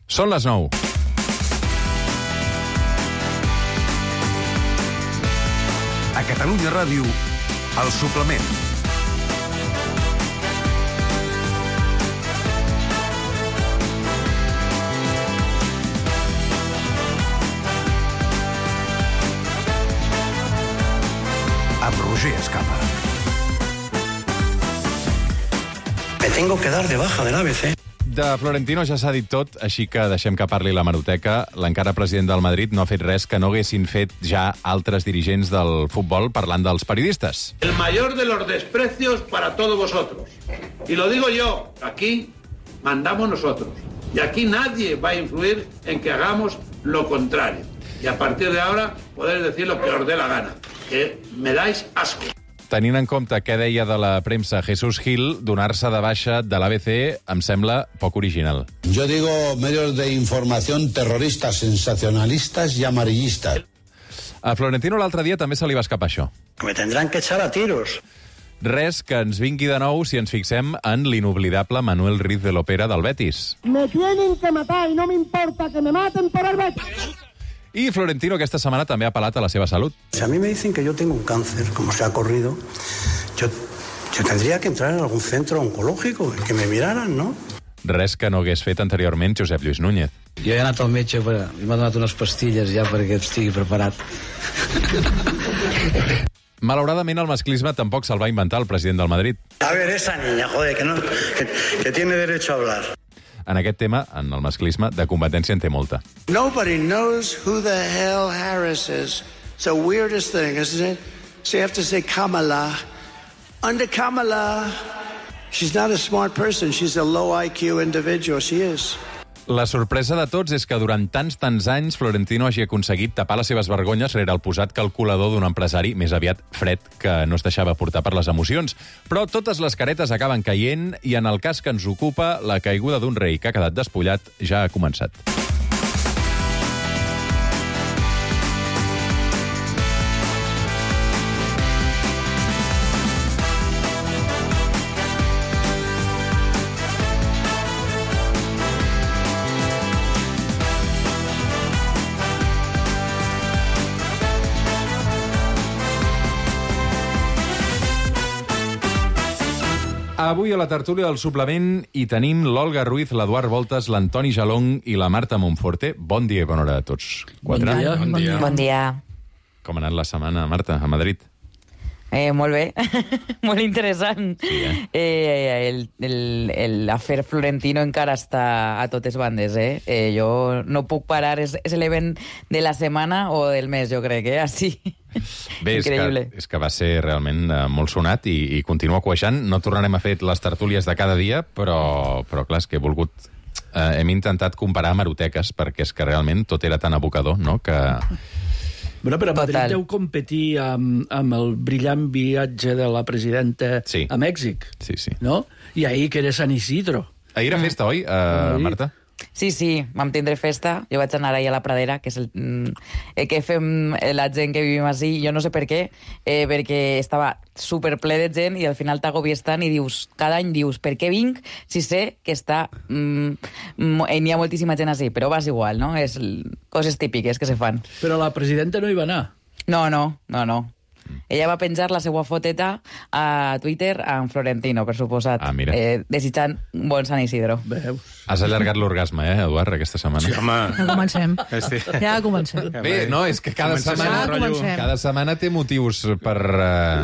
Són les 9. A Catalunya Ràdio, El Suplement. Amb Roger Escapa. Me tengo que dar de baja del ABC. De Florentino ja s'ha dit tot, així que deixem que parli l'hemeroteca. L'encara president del Madrid no ha fet res que no haguessin fet ja altres dirigents del futbol parlant dels periodistes. El mayor de los desprecios para todos vosotros. Y lo digo yo, aquí mandamos nosotros. Y aquí nadie va a influir en que hagamos lo contrario. Y a partir de ahora podéis decir lo que os dé la gana. Que me dais asco. Tenint en compte què deia de la premsa Jesús Gil, donar-se de baixa de l'ABC em sembla poc original. Yo digo medios de información terroristas, sensacionalistas y amarillistas. A Florentino l'altre dia també se li va escapar això. Me tendrán que echar a tiros. Res que ens vingui de nou si ens fixem en l'inoblidable Manuel Riz de l'Opera del Betis. Me tienen que matar y no me importa que me maten por el Betis. I Florentino aquesta setmana també ha apel·lat a la seva salut. Si a mí me dicen que yo tengo un cáncer, como se ha corrido, yo tendría que entrar en algún centro oncológico, que me miraran, ¿no? Res que no hagués fet anteriorment Josep Lluís Núñez. Jo he anat al metge i m'ha donat unes pastilles ja perquè estigui preparat. Malauradament, el masclisme tampoc se'l va inventar el president del Madrid. A ver, esa niña, joder, que tiene derecho a hablar. En aquest tema, en el masclisme, de competència en té molta. Nobody knows who the hell Harris is. It's the weirdest thing, isn't it? So you have to say Kamala. Under Kamala, she's not a smart person. She's a low IQ individual. She is. La sorpresa de tots és que durant tants anys Florentino hagi aconseguit tapar les seves vergonyes rere el posat calculador d'un empresari més aviat fred que no es deixava portar per les emocions. Però totes les caretes acaben caient i en el cas que ens ocupa, la caiguda d'un rei que ha quedat despullat ja ha començat. Avui a la tertúlia del Suplement hi tenim l'Olga Ruiz, l'Eduard Voltes, l'Antoni Jalong i la Marta Monforte. Bon dia i bona hora a tots. Bon dia. Bon dia. Com ha anat la setmana, Marta, a Madrid? Molt bé, molt interessant. Sí, L'afer Florentino encara està a totes bandes. Jo no puc parar, és l'event de la setmana o del mes, jo crec, així. Bé, és que va ser realment molt sonat i continua cuejant. No tornarem a fer les tertúlies de cada dia, però clar, és que he volgut... hem intentat comparar hemeroteques, perquè és que realment tot era tan abocador, no?, que... Bueno, però Madrid deu competir amb el brillant viatge de la presidenta a Mèxic. Sí, sí. No? I ahir que era San Isidro. Ahir era festa, oi, Marta? Sí, vam tindre festa. Jo vaig anar ahir a la Pradera, que és el que fem la gent que vivim així. Jo no sé per què, perquè estava superple de gent i al final t'agobies tant i dius, cada any dius, per què vinc si sé que està... n'hi ha moltíssima gent així, però vas igual, no? És coses típiques que se fan. Però la presidenta no hi va anar. No. Ella va penjar la seva foteta a Twitter amb Florentino, per suposat, desitjant un bon Sant Isidro. Veus? Has allargat l'orgasme, Eduard, aquesta setmana? Sí, home. Ja comencem. Bé, no, és que cada setmana té motius per...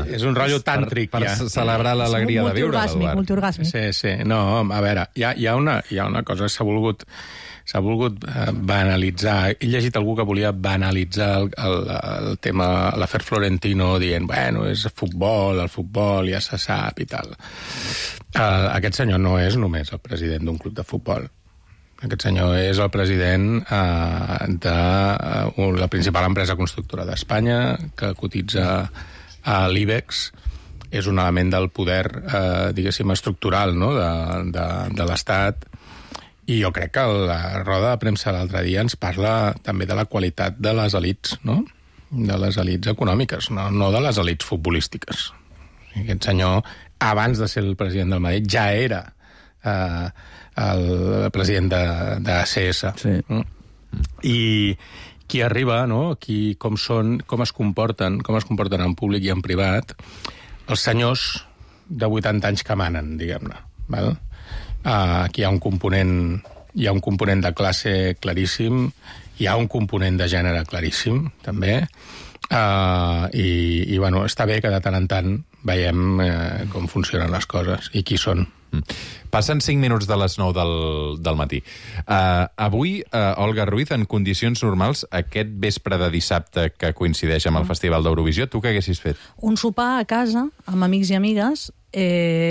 És un rotllo tàntric, per celebrar l'alegria de viure, Eduard. Multiorgàsmic. Sí. No, a veure, hi ha una cosa que s'ha volgut banalitzar. He llegit algú que volia banalitzar el tema, l'afer Florentino, dient, bueno, és futbol, el futbol ja se sap i tal. Aquest senyor no és només el president d'un club de futbol. Aquest senyor és el president de la principal empresa constructora d'Espanya, que cotitza a l'IBEX. És un element del poder, diguéssim, estructural, no?, de l'Estat. I jo crec que la roda de premsa l'altre dia ens parla també de la qualitat de les elits, no? De les elits econòmiques, no de les elits futbolístiques. Aquest senyor, abans de ser el president del Madrid, ja era el president d'ACS. Sí. I qui arriba, no? Com es comporten en públic i en privat, els senyors de 80 anys que manen, diguem-ne. Val? Aquí hi ha un component de classe claríssim, hi ha un component de gènere claríssim, també, i bueno, està bé que de tant en tant veiem com funcionen les coses i qui són. Passen 5 minuts de les 9 del matí. Avui, Olga Ruiz, en condicions normals, aquest vespre de dissabte que coincideix amb el Festival d'Eurovisió, tu què haguessis fet? Un sopar a casa, amb amics i amigues,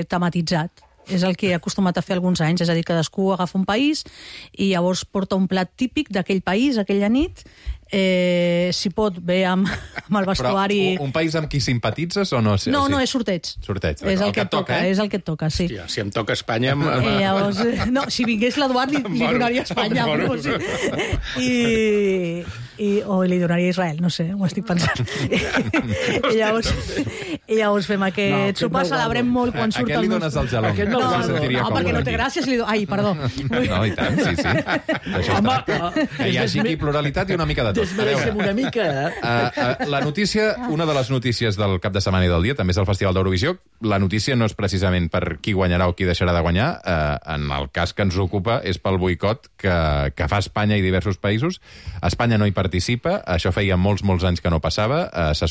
tematitzat. És el que he acostumat a fer alguns anys, és a dir, cadascú agafa un país i llavors porta un plat típic d'aquell país, aquella nit, si pot, bé amb el vestuari... Però un país amb qui simpatitzes o no? No, és sorteig. Sorteig, és el que et toca, és el que et toca, sí. Hòstia, si em toca Espanya... Llavors, no, si vingués l'Eduard li donaria Espanya. O li donaria Israel, no sé, ho estic pensant. I llavors fem aquest sopar, celebrem molt quan surt el nostre... A què li dones el gelong? No, perquè no té gràcia si li dono... Ai, perdó. No, i tant, sí. Això està. Que hi hagi aquí pluralitat i una mica de tot. Desmereixem una mica, La notícia, una de les notícies del cap de setmana i del dia, també és el Festival d'Eurovisió. La notícia no és precisament per qui guanyarà o qui deixarà de guanyar. En el cas que ens ocupa és pel boicot que fa Espanya i diversos països. Espanya no hi participa, això feia molts anys que no passava. S'hi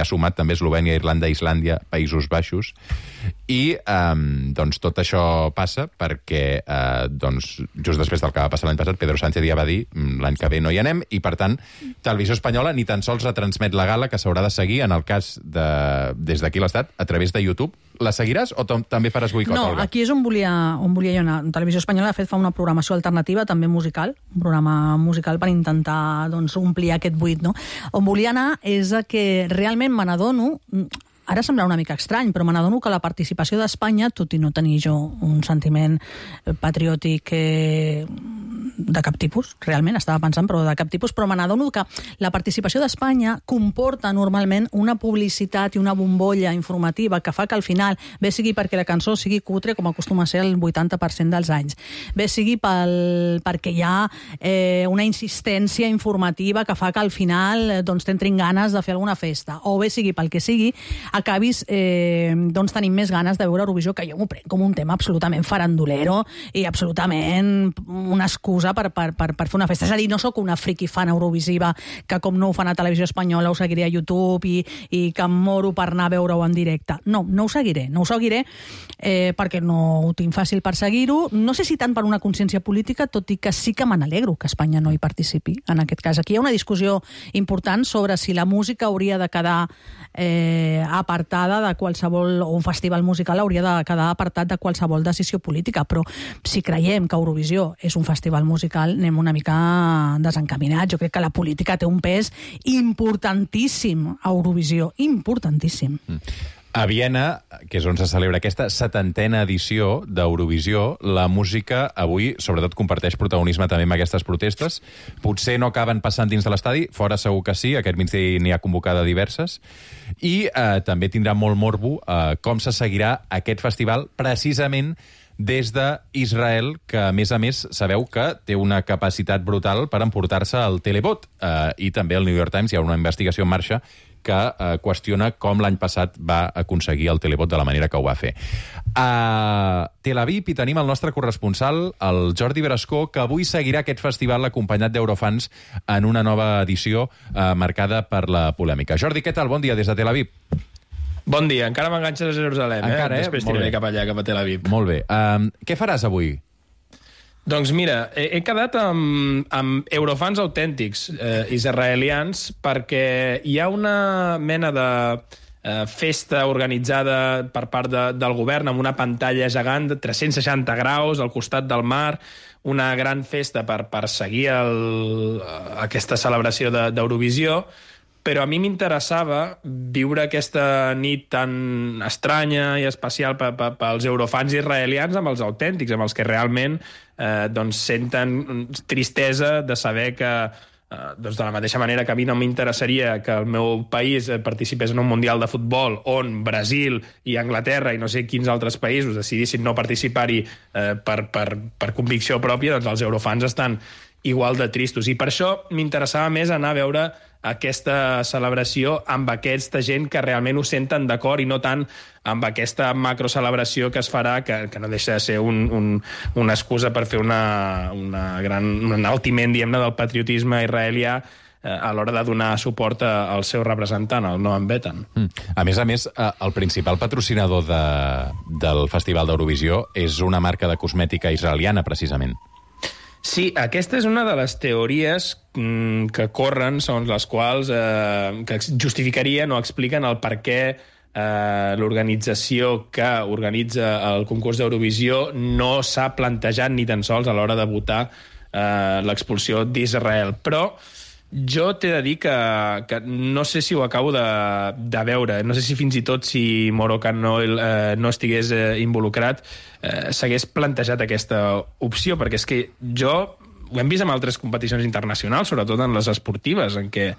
ha sumat també Eslovènia, Irlanda, Islàndia, Països Baixos. I doncs tot això passa perquè just després del que va passar l'any passat, Pedro Sánchez ja va dir l'any que ve no hi anem, i per tant Televisió Espanyola ni tan sols retransmet la gala, que s'haurà de seguir en el cas des d'aquí l'Estat a través de YouTube. La seguiràs o també faràs boicot, Olga? No, aquí és on volia jo anar. Televisió Espanyola, de fet, fa una programació alternativa, també musical, un programa musical per intentar omplir aquest buit, no? On volia anar és que realment me n'adono, ara semblarà una mica estrany, però me n'adono que la participació d'Espanya, tot i no tenir jo un sentiment patriòtic de cap tipus, realment, estava pensant, però de cap tipus, però me n'adono que la participació d'Espanya comporta normalment una publicitat i una bombolla informativa que fa que al final, bé sigui perquè la cançó sigui cutre, com acostuma a ser el 80% dels anys, bé sigui perquè hi ha una insistència informativa que fa que al final t'entrin ganes de fer alguna festa, o bé sigui pel que sigui, acabis tenint més ganes de veure Eurovisió, que jo m'ho prenc com un tema absolutament farandulero i absolutament una excusa per fer una festa. És a dir, no sóc una friqui fan eurovisiva que, com no ho fan a Televisió Espanyola, ho seguiré a YouTube i que em moro per anar a veure-ho en directe. No ho seguiré perquè no ho tinc fàcil per seguir-ho. No sé si tant per una consciència política, tot i que sí que me n'alegro que Espanya no hi participi, en aquest cas. Aquí hi ha una discussió important sobre si la música hauria de quedar apartada de qualsevol, o un festival musical hauria de quedar apartat de qualsevol decisió política, però si creiem que Eurovisió és un festival musical, anem una mica desencaminats. Jo crec que la política té un pes importantíssim a Eurovisió, importantíssim. A Viena, que és on se celebra aquesta 70a edició d'Eurovisió, la música avui, sobretot, comparteix protagonisme també amb aquestes protestes. Potser no acaben passant dins de l'estadi, fora segur que sí, aquest migdia n'hi ha convocada diverses, i també tindrà molt morbo com se seguirà aquest festival precisament des d'Israel, que, a més, sabeu que té una capacitat brutal per emportar-se el televot. I també al New York Times hi ha una investigació en marxa que qüestiona com l'any passat va aconseguir el televot de la manera que ho va fer. A Tel Aviv hi tenim el nostre corresponsal, el Jordi Brascó, que avui seguirà aquest festival acompanyat d'Eurofans en una nova edició marcada per la polèmica. Jordi, què tal? Bon dia des de Tel Aviv. Bon dia, encara m'enganxes a Jerusalem, encara, després tiraré cap allà, cap a Tel Aviv. Molt bé. Què faràs avui? Doncs mira, he quedat amb eurofans autèntics israelians, perquè hi ha una mena de festa organitzada per part del govern amb una pantalla gegant de 360 graus al costat del mar, una gran festa per seguir aquesta celebració d'Eurovisió, però a mi m'interessava viure aquesta nit tan estranya i especial pels eurofans israelians amb els autèntics, amb els que realment senten tristesa de saber que doncs de la mateixa manera que a mi no m'interessaria que el meu país participés en un Mundial de Futbol on Brasil i Anglaterra i no sé quins altres països decidissin no participar-hi per convicció pròpia, doncs els eurofans estan igual de tristos. I per això m'interessava més anar a veure aquesta celebració amb aquesta gent que realment ho senten d'acord i no tant amb aquesta macrocelebració que es farà, que no deixa de ser una excusa per fer un enaltiment, diguem-ne, del patriotisme israelià a l'hora de donar suport al seu representant, el Noam Betan. A més, el principal patrocinador del Festival d'Eurovisió és una marca de cosmètica israeliana, precisament. Sí, aquesta és una de les teories que corren, segons les quals que justificarien o expliquen el per què l'organització que organitza el concurs d'Eurovisió no s'ha plantejat ni tan sols a l'hora de votar l'expulsió d'Israel. Però jo t'he de dir que no sé si ho acabo de veure. No sé si fins i tot si Moroccan Oil no estigués involucrat s'hagués plantejat aquesta opció, perquè és que ho hem vist en altres competicions internacionals, sobretot en les esportives, en què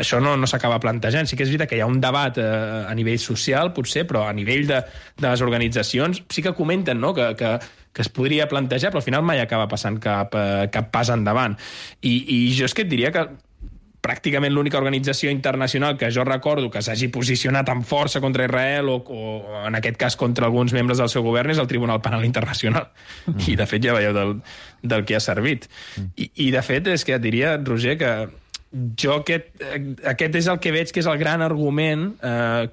això no s'acaba plantejant. Sí que és veritat que hi ha un debat a nivell social, potser, però a nivell de les organitzacions sí que comenten, no?, que es podria plantejar, però al final mai acaba passant cap pas endavant. I jo és que et diria que pràcticament l'única organització internacional que jo recordo que s'hagi posicionat amb força contra Israel o en aquest cas contra alguns membres del seu govern és el Tribunal Penal Internacional. I de fet ja veieu del que ha servit. I de fet és que et diria, Roger, que jo aquest és el que veig que és el gran argument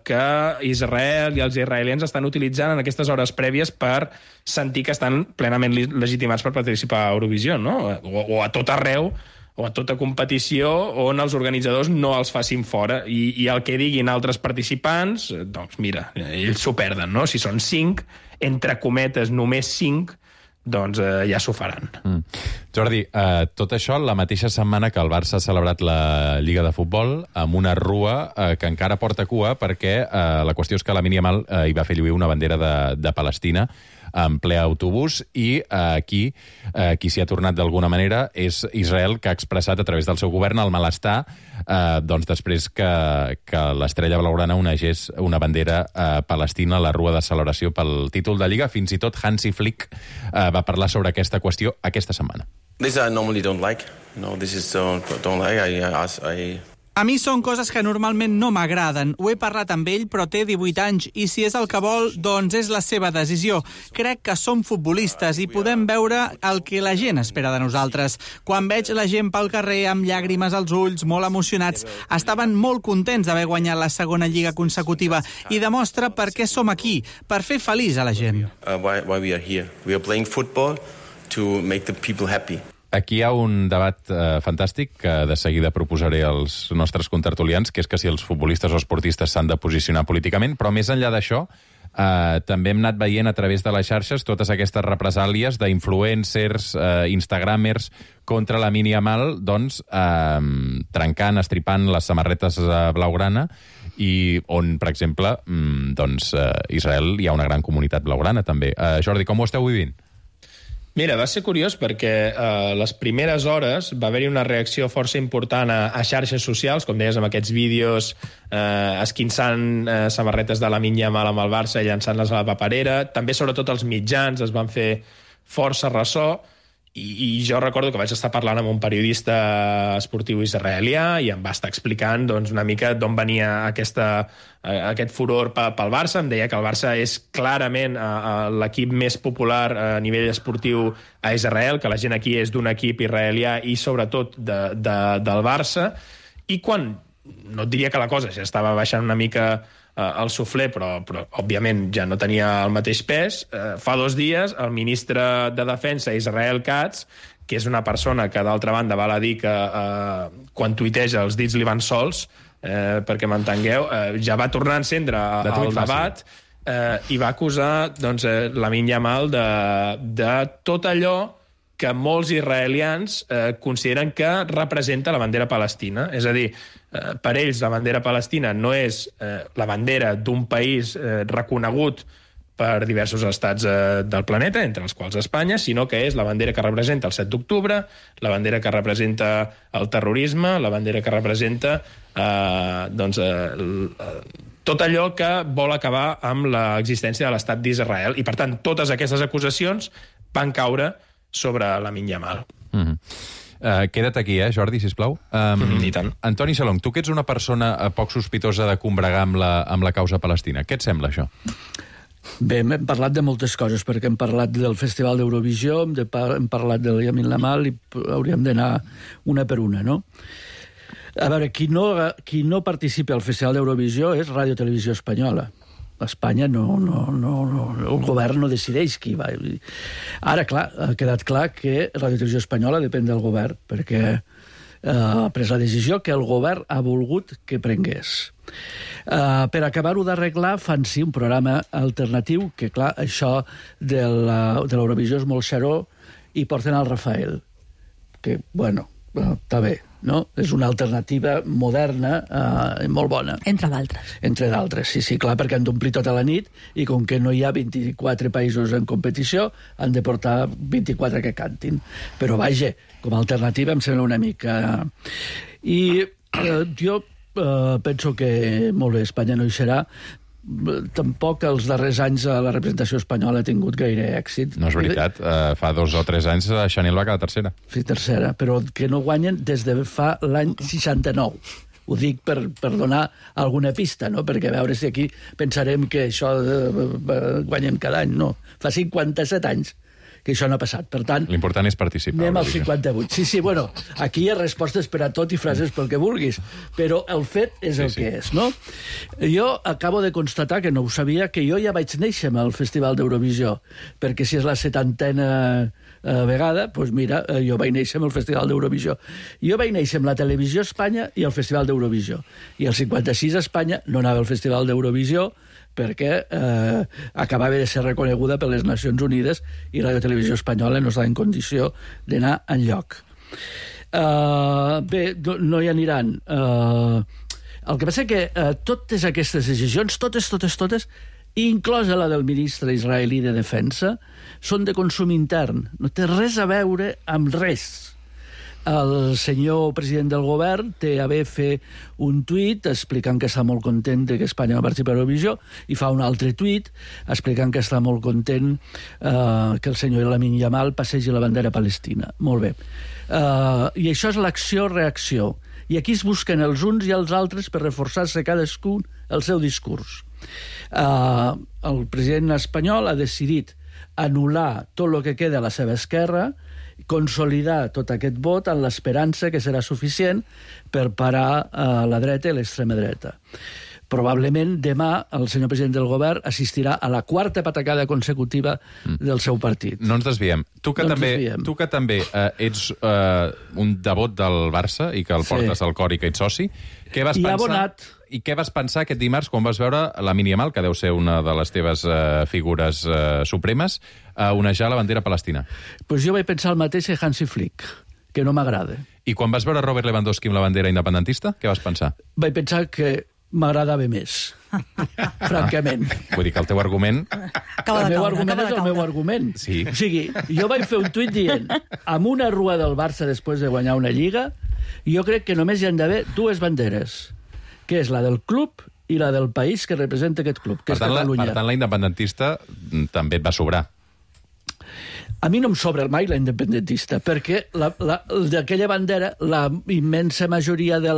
que Israel i els israelians estan utilitzant en aquestes hores prèvies per sentir que estan plenament legitimats per participar a Eurovisió, no? O a tot arreu, o a tota competició on els organitzadors no els facin fora. I el que diguin altres participants, doncs mira, ells s'ho perden, no? Si són 5, entre cometes només 5, doncs ja s'ho faran. Jordi, tot això la mateixa setmana que el Barça ha celebrat la Lliga de Futbol amb una rua que encara porta cua perquè la qüestió és que la Lamine Yamal hi va fer lluir una bandera de Palestina en ple autobús i aquí qui s'hi ha tornat d'alguna manera és Israel, que ha expressat a través del seu govern el malestar doncs després que l'estrella blaugrana onegés una bandera palestina a la rua de celebració pel títol de Lliga. Fins i tot Hansi Flick va parlar sobre aquesta qüestió aquesta setmana. This I normally don't like. No, this is don't like. A mi són coses que normalment no m'agraden. Ho he parlat amb ell, però té 18 anys, i si és el que vol, doncs és la seva decisió. Crec que som futbolistes i podem veure el que la gent espera de nosaltres. Quan veig la gent pel carrer amb llàgrimes als ulls, molt emocionats, estaven molt contents d'haver guanyat la segona lliga consecutiva i demostra per què som aquí, per fer feliç a la gent. Why we are here. We are playing football to make the people happy. Aquí hi ha un debat fantàstic que de seguida proposaré als nostres contertulians, que és que si els futbolistes o esportistes s'han de posicionar políticament, però més enllà d'això, també hem anat veient a través de les xarxes totes aquestes represàlies d'influencers, instagramers contra la Lamine Yamal, doncs, trencant, estripant les samarretes blaugrana, i on, per exemple, doncs, Israel hi ha una gran comunitat blaugrana, també. Jordi, com ho esteu vivint? Mira, va ser curiós perquè a les primeres hores va haver-hi una reacció força important a xarxes socials, com deies, amb aquests vídeos esquinçant samarretes de Lamine Yamal amb el Barça i llançant-les a la paperera. També, sobretot, els mitjans es van fer força ressò i jo recordo que vaig estar parlant amb un periodista esportiu israelià i em va estar explicant doncs, una mica d'on venia aquest furor pel Barça. Em deia que el Barça és clarament l'equip més popular a nivell esportiu a Israel, que la gent aquí és d'un equip israelià i sobretot del Barça, i quan, no et diria que la cosa ja estava baixant una mica el suflé, però òbviament ja no tenia el mateix pes. Fa 2 dies el ministre de Defensa, Israel Katz, que és una persona que d'altra banda val a dir que quan tuiteja els dits li van sols, perquè m'entengueu, ja va tornar a encendre el debat i va acusar doncs, Lamine Yamal de tot allò que molts israelians consideren que representa la bandera palestina. És a dir, per ells la bandera palestina no és la bandera d'un país reconegut per diversos estats del planeta, entre els quals Espanya, sinó que és la bandera que representa el 7 d'octubre, la bandera que representa el terrorisme, la bandera que representa tot allò que vol acabar amb l'existència de l'estat d'Israel. I, per tant, totes aquestes acusacions van caure sobre Lamine Yamal. Queda't aquí, Jordi, sisplau. I tant. Antoni Salong, tu que ets una persona poc sospitosa de combregar amb la causa palestina, què et sembla, això? Bé, hem parlat de moltes coses, perquè hem parlat del Festival d'Eurovisió, hem parlat del Lamine Yamal i hauríem d'anar una per una, no? A veure, qui no participa al Festival d'Eurovisió és Ràdio Televisió Espanyola. A Espanya el govern no decideix qui va. Ara, clar, ha quedat clar que Ràdio Televisió Espanyola depèn del govern, perquè ha pres la decisió que el govern ha volgut que prengués. Per acabar-ho d'arreglar, fan sí un programa alternatiu, que clar, això de l'Eurovisió és molt xaró, i porten el Rafael, que, bueno, està bé, no? És una alternativa moderna molt bona. Entre d'altres. Entre d'altres, sí, clar, perquè han d'omplir tota la nit i com que no hi ha 24 països en competició, han de portar 24 que cantin. Però, vaja, com a alternativa em sembla una mica... I jo penso que, molt bé, Espanya no hi serà. Tampoc els darrers anys la representació espanyola ha tingut gaire èxit. No és veritat. Fa 2 o 3 anys Chanel va quedar tercera. Sí, tercera, però que no guanyen des de fa l'any 69. Ho dic per donar alguna pista, no? Perquè a veure si aquí pensarem que això guanyen cada any. No, fa 57 anys que això no ha passat. Per tant, l'important és participar. Anem al 58. Sí, bueno, aquí hi ha respostes per a tot i frases pel que vulguis, però el fet és el que és, no? Jo acabo de constatar, que no ho sabia, que jo ja vaig néixer amb el Festival d'Eurovisió, perquè si és la 70a vegada, doncs mira, jo vaig néixer amb el Festival d'Eurovisió. Jo vaig néixer amb la Televisió Espanya i el Festival d'Eurovisió. I el 56 a Espanya no anava al Festival d'Eurovisió, perquè acabava de ser reconeguda per les Nacions Unides i la Televisió Espanyola no estava en condició d'anar enlloc. Bé, no hi aniran. El que passa que totes aquestes decisions, totes, inclosa la del ministre israelí de Defensa, són de consum intern. No té res a veure amb res. El senyor president del govern té a bé fer un tuit explicant que està molt content que Espanya no participa a l'Eurovisió i fa un altre tuit explicant que està molt content que el senyor Lamine Yamal passegi la bandera palestina. Molt bé. I això és l'acció-reacció. I aquí es busquen els uns i els altres per reforçar-se cadascun el seu discurs. El president espanyol ha decidit anul·lar tot el que queda a la seva esquerra, consolidar tot aquest vot en l'esperança que serà suficient per parar la dreta i l'extrema dreta. Probablement demà el senyor president del govern assistirà a la 4ª patacada consecutiva del seu partit. No ens desviem. Tu que també ets un devot del Barça i que el portes al cor i que ets soci, què vas pensar? Abonat. I què vas pensar aquest dimarts quan vas veure Lamine Yamal, que deu ser una de les teves figures supremes, onejar la bandera palestina? Pues jo vaig pensar el mateix que Hansi Flick, que no m'agrada. I quan vas veure Robert Lewandowski amb la bandera independentista, què vas pensar? Vaig pensar que m'agradava més, francament. Vull dir que el teu argument... El meu argument és el meu argument. Sí. O sigui, jo vaig fer un tuit dient amb una rua del Barça després de guanyar una lliga, jo crec que només hi han d'haver 2 banderes, que és la del club i la del país que representa aquest club, que és Catalunya. Per tant, la independentista també et va sobrar. A mi no em sobra mai la independentista, perquè d'aquella bandera, la immensa majoria de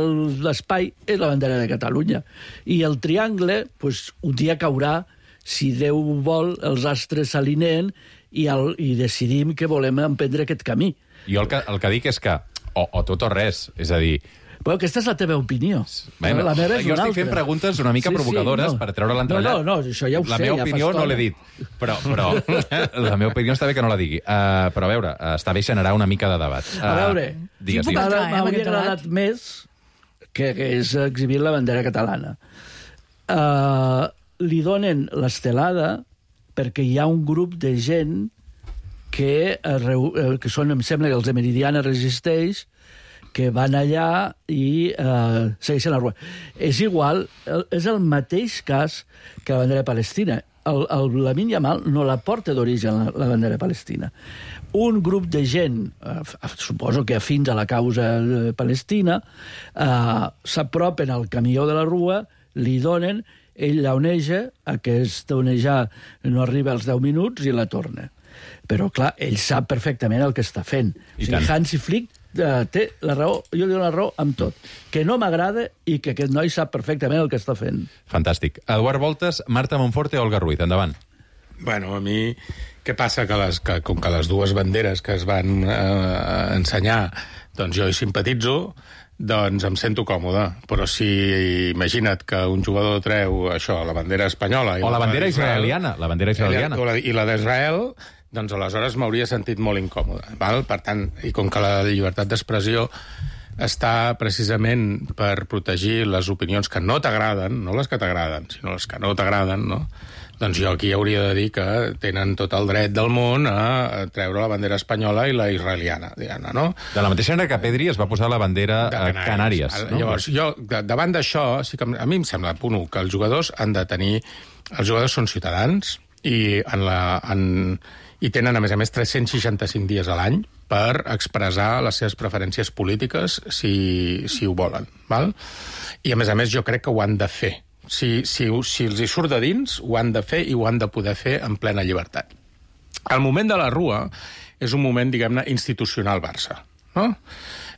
l'espai és la bandera de Catalunya. I el triangle, pues, un dia caurà, si Déu vol, els astres s'alineen i decidim que volem emprendre aquest camí. Jo el que dic és que o tot o res, és a dir... Però aquesta és la teva opinió. Bueno, la meva és jo estic fent preguntes una mica provocadores per treure l'entrellat. No, això ja ho sé. La meva opinió no l'he dit, però la meva opinió està bé que no la digui. Però a veure, està bé generar una mica de debat. A veure, m'hauria agradat més que és exhibir la bandera catalana. Li donen l'estelada perquè hi ha un grup de gent que són, em sembla que els de Meridiana Resisteix, que van allà i segueixen la rua. És igual, és el mateix cas que la bandera palestina. Lamine Yamal no la porta d'origen la bandera palestina. Un grup de gent, suposo que afins a la causa palestina, s'apropen al camió de la rua, li donen, ell la oneja, aquesta onejar no arriba als 10 minuts i la torna. Però, clar, ell sap perfectament el que està fent. O sigui, Hansi Flick té la raó, jo li dono la raó amb tot. Que no m'agrada i que aquest noi sap perfectament el que està fent. Fantàstic. Eduard Voltes, Marta Monforte o Olga Ruiz. Endavant. Bueno, a mi, què passa? Que com que les dues banderes que es van ensenyar, doncs jo hi simpatitzo, doncs em sento còmode. Però si imagina't que un jugador treu això, la bandera espanyola... O la bandera israeliana. La bandera israeliana. I la d'Israel, doncs aleshores m'hauria sentit molt incòmode. Val? Per tant, i com que la llibertat d'expressió està precisament per protegir les opinions que no t'agraden, no les que t'agraden, sinó les que no t'agraden, no? Doncs jo aquí hauria de dir que tenen tot el dret del món a treure la bandera espanyola i la israeliana, diguem-ne, no? De la mateixa manera que Pedri es va posar la bandera Canàries. No? Llavors, jo, davant d'això, sí que a mi em sembla, punt 1, que els jugadors han de tenir... Els jugadors són ciutadans i tenen, a més, 365 dies a l'any per expressar les seves preferències polítiques si ho volen, val? I, a més, jo crec que ho han de fer. Si els hi surt de dins, ho han de fer i ho han de poder fer en plena llibertat. El moment de la Rua és un moment, diguem-ne, institucional Barça, no?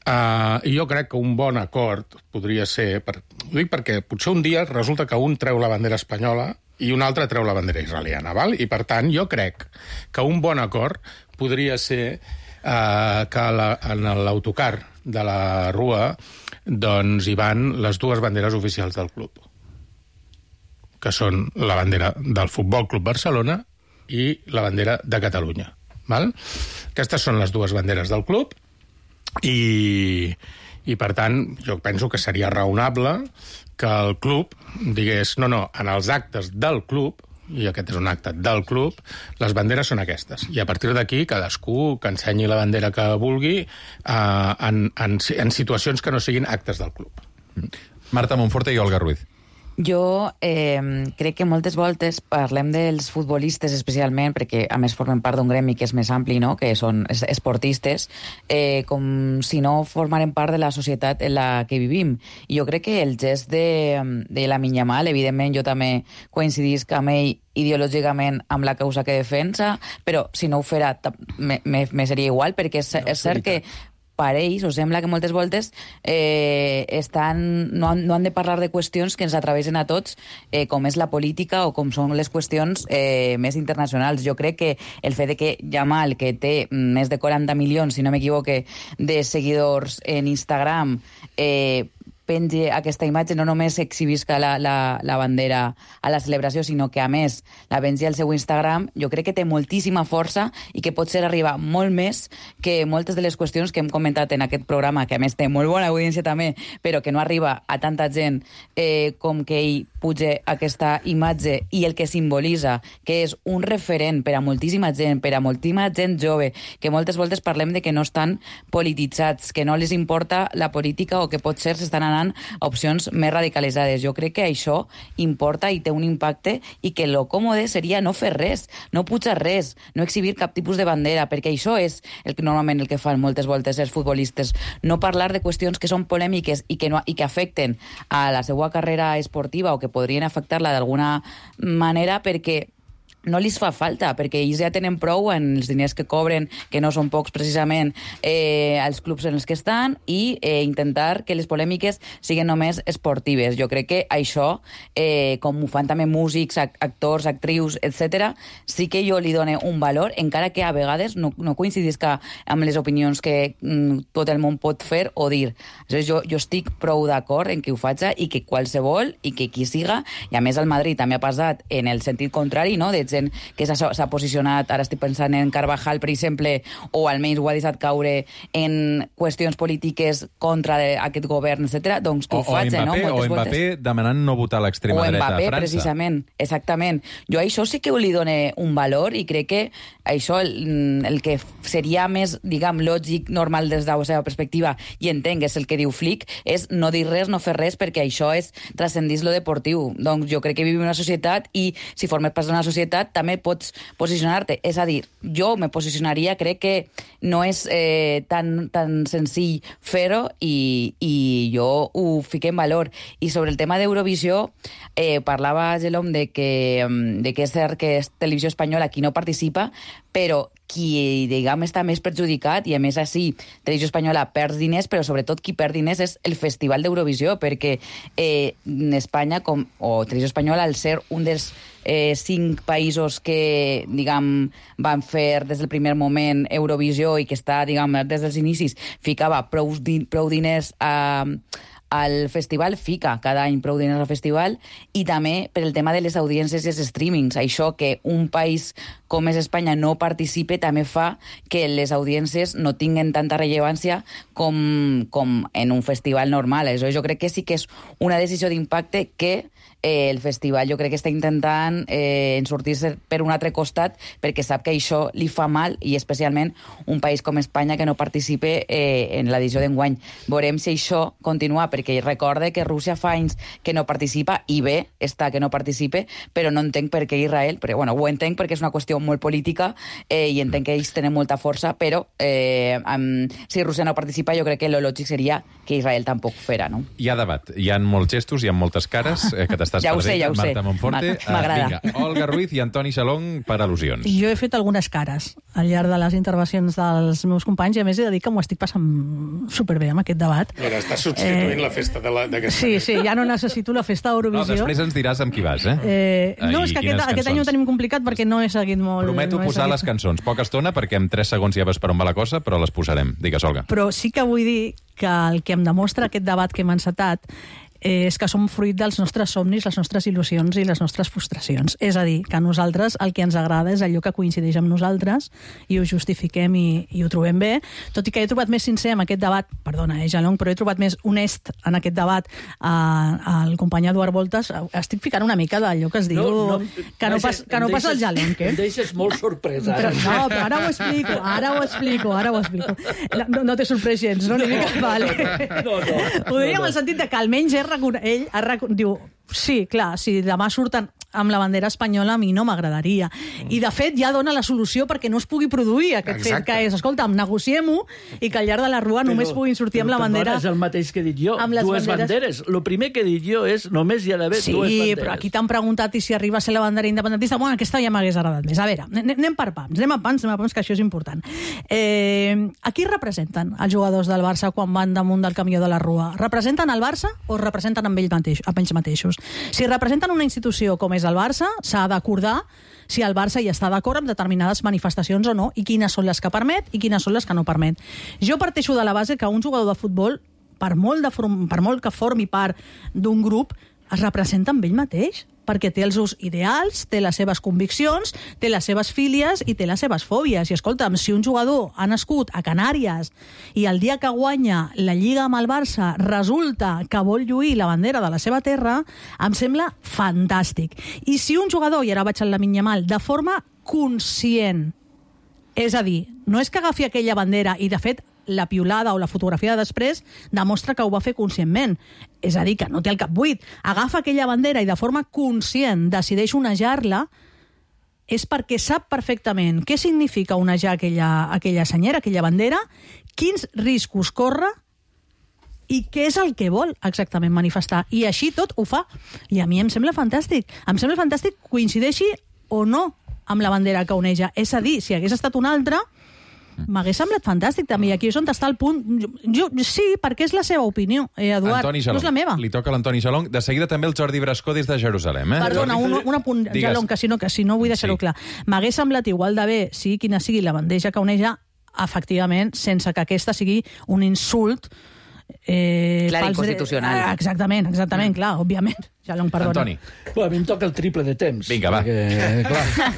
I jo crec que un bon acord podria ser... Ho dic perquè potser un dia resulta que un treu la bandera espanyola i un altre treu la bandera israeliana, val? I, per tant, jo crec que un bon acord podria ser que en l'autocar de la Rua doncs hi van les dues banderes oficials del club, que són la bandera del Futbol Club Barcelona i la bandera de Catalunya. Val? Aquestes són les dues banderes del club i per tant, jo penso que seria raonable que el club digués no, en els actes del club, i aquest és un acte del club, les banderes són aquestes. I a partir d'aquí, cadascú que ensenyi la bandera que vulgui en situacions que no siguin actes del club. Marta Monforte i Olga Ruiz. Jo crec que moltes voltes parlem dels futbolistes especialment, perquè a més formen part d'un gremi que és més ampli, no? Que són esportistes, com si no formaren part de la societat en la que vivim. I jo crec que el gest de Lamine Yamal, evidentment jo també coincidisc amb ell ideològicament amb la causa que defensa, però si no ho fera me seria igual, perquè és cert que parells, o sembla que moltes voltes no han de parlar de qüestions que ens atravessen a tots, com és la política o com són les qüestions més internacionals. Jo crec que el fet de que Yamal, que té més de 40 milions, si no m'equivoque, de seguidors en Instagram, pengi aquesta imatge, no només exhibisca la bandera a la celebració, sinó que, a més, la pengi al seu Instagram, jo crec que té moltíssima força i que pot ser arribar molt més que moltes de les qüestions que hem comentat en aquest programa, que a més té molt bona audiència també, però que no arriba a tanta gent com que ell puja aquesta imatge i el que simbolitza, que és un referent per a moltíssima gent, per a moltíssima gent jove, que moltes voltes parlem de que no estan polititzats, que no les importa la política o que potser s'estan anant a opcions més radicalitzades. Jo crec que això importa i té un impacte i que lo còmode seria no fer res, no pujar res, no exhibir cap tipus de bandera, perquè això és normalment el que fan moltes voltes els futbolistes, no parlar de qüestions que són polèmiques i que afecten a la seva carrera esportiva o que podrien afectar-la d'alguna manera, perquè no li fa falta, perquè ells ja tenen prou en els diners que cobren, que no són pocs precisament, als clubs en els que estan, i intentar que les polèmiques siguin només esportives. Jo crec que això, com ho fan també músics, actors, actrius, etc., sí que jo li dono un valor, encara que a vegades no coincidisca amb les opinions que tot el món pot fer o dir. Jo estic prou d'acord en que ho faci i que qualsevol, i que qui siga, i a més al Madrid també ha passat en el sentit contrari, no?, de gent que s'ha posicionat, ara estic pensant en Carvajal, per exemple, o almenys ho ha deixat caure en qüestions polítiques contra aquest govern, etc. doncs que ho faig, no? O Mbappé demanant no votar a l'extrema dreta a França. O Mbappé, precisament, exactament. Jo a això sí que li dono un valor i crec que això, el que seria més, diguem, lògic, normal des de la seva perspectiva, i entenc, és el que diu Flick, és no dir res, no fer res, perquè això és transcendís lo deportiu. Doncs jo crec que vivim en una societat i si formes part d'una societat també pots posicionar-te. És a dir, jo me posicionaria, crec que no és tan senzill fer-ho i jo ho fiqué en valor. I sobre el tema d'Eurovisió, parlava Gelom de que és cert que és Televisió Espanyola qui no participa, però qui, diguem, està més perjudicat, i a més així Televisió Espanyola perd diners, però sobretot qui perd diners és el Festival d'Eurovisió, perquè Espanya, o Televisió Espanyola, al ser un dels 5 països que, diguem, van fer des del primer moment Eurovisió i que està, diguem, des dels inicis, ficava prou diners al festival, fica cada any prou diners al festival, i també per el tema de les audiències i els streamings. Això que un país com és Espanya no participe també fa que les audiències no tinguen tanta rellevància com en un festival normal. Això jo crec que sí que és una decisió d'impacte que el festival jo crec que està intentant sortir-se per un altre costat, perquè sap que això li fa mal, i especialment un país com Espanya que no participe en l'edició d'enguany. Veurem si això continua, perquè recorde que Rússia fa anys que no participa, i bé està que no participe, però no entenc per què Israel, però bueno, ho entenc perquè és una qüestió molt política i entenc que ells tenen molta força, però si Rússia no participa, jo crec que lo lògic seria que Israel tampoc fera, no? Hi ha debat, hi ha molts gestos, hi ha moltes cares que t'estàs perdent, Marta Monforte. M'agrada. Vinga, Olga Ruiz i Antoni Xalong per al·lusions. Jo he fet algunes cares al llarg de les intervencions dels meus companys, i a més he de dir que m'ho estic passant superbé amb aquest debat. Mira, estàs substituint la festa d'aquesta. Sí, ja no necessito la festa d'Eurovisió. No, després ens diràs amb qui vas, no, és que aquest any ho tenim complicat perquè no he seguit molt. Prometo posar les cançons. Poca estona, perquè en 3 segons ja veus per on va la cosa, però les posarem. Digues, Olga. Però sí que vull dir que el que em demostra aquest debat que hem encetat és que som fruit dels nostres somnis, les nostres il·lusions i les nostres frustracions. És a dir, que a nosaltres el que ens agrada és allò que coincideix amb nosaltres i ho justifiquem i ho trobem bé, tot i que he trobat més sincer en aquest debat, perdona, Jalong, però he trobat més honest en aquest debat el company Eduard Voltas. Estic ficant una mica d'allò que es diu que no passa el Jalong, eh? Em deixes molt sorpresa. Però ara ho explico. No t'he sorprès gens, no? Vale. No. Ho diria en el sentit de que almenys ell diu, sí, clar, si demà surten amb la bandera espanyola a mi no m'agradaria. I, de fet, ja dona la solució perquè no es pugui produir aquest fet, que és, escolta'm, negociem-ho i que al llarg de la rua només puguin sortir amb la bandera... És el mateix que he dit jo, dues banderes. El primer que he dit jo és només hi ha d'haver dues banderes. Sí, però aquí t'han preguntat i si arriba a ser la bandera independentista, bueno, aquesta ja m'hagués agradat més. A veure, anem per pams, que això és important. A qui representen els jugadors del Barça quan van damunt del camió de la rua? Representen el Barça o representen amb ells mateixos? Si representen una institució com és el Barça, s'ha d'acordar si el Barça hi està d'acord amb determinades manifestacions o no, i quines són les que permet i quines són les que no permet. Jo parteixo de la base que un jugador de futbol, per molt que formi part d'un grup, es representa amb ell mateix, perquè té els seus ideals, té les seves conviccions, té les seves fílies i té les seves fòbies. I escolta'm, si un jugador ha nascut a Canàries i el dia que guanya la Lliga amb el Barça resulta que vol lluir la bandera de la seva terra, em sembla fantàstic. I si un jugador, i ara vaig al Lamine Yamal, de forma conscient, és a dir, no és que agafi aquella bandera i, de fet, la piulada o la fotografia de després demostra que ho va fer conscientment. És a dir, que no té el cap buit. Agafa aquella bandera i de forma conscient decideix onejar-la, és perquè sap perfectament què significa onejar aquella senyera, aquella bandera, quins riscos corre i què és el que vol exactament manifestar. I així tot ho fa. I a mi em sembla fantàstic. Em sembla fantàstic, coincideixi o no amb la bandera que oneja. És a dir, si hagués estat una altra, m'hagués semblat fantàstic també, i aquí és on està el punt. Jo sí, perquè és la seva opinió, Eduard, no és la meva. Li toca a l'Antoni Xalong. De seguida també el Jordi Brascó des de Jerusalem. Perdona, un apunt, Xalong, que si no vull deixar-ho clar. M'hagués semblat igual de bé, sigui quina sigui la bandeja que oneja, efectivament, sense que aquesta sigui un insult Clar, inconstitucional. Exactament, clar, òbviament. Ja l'hem perdonat. Antoni. A mi em toca el triple de temps. Vinga, va. Perquè,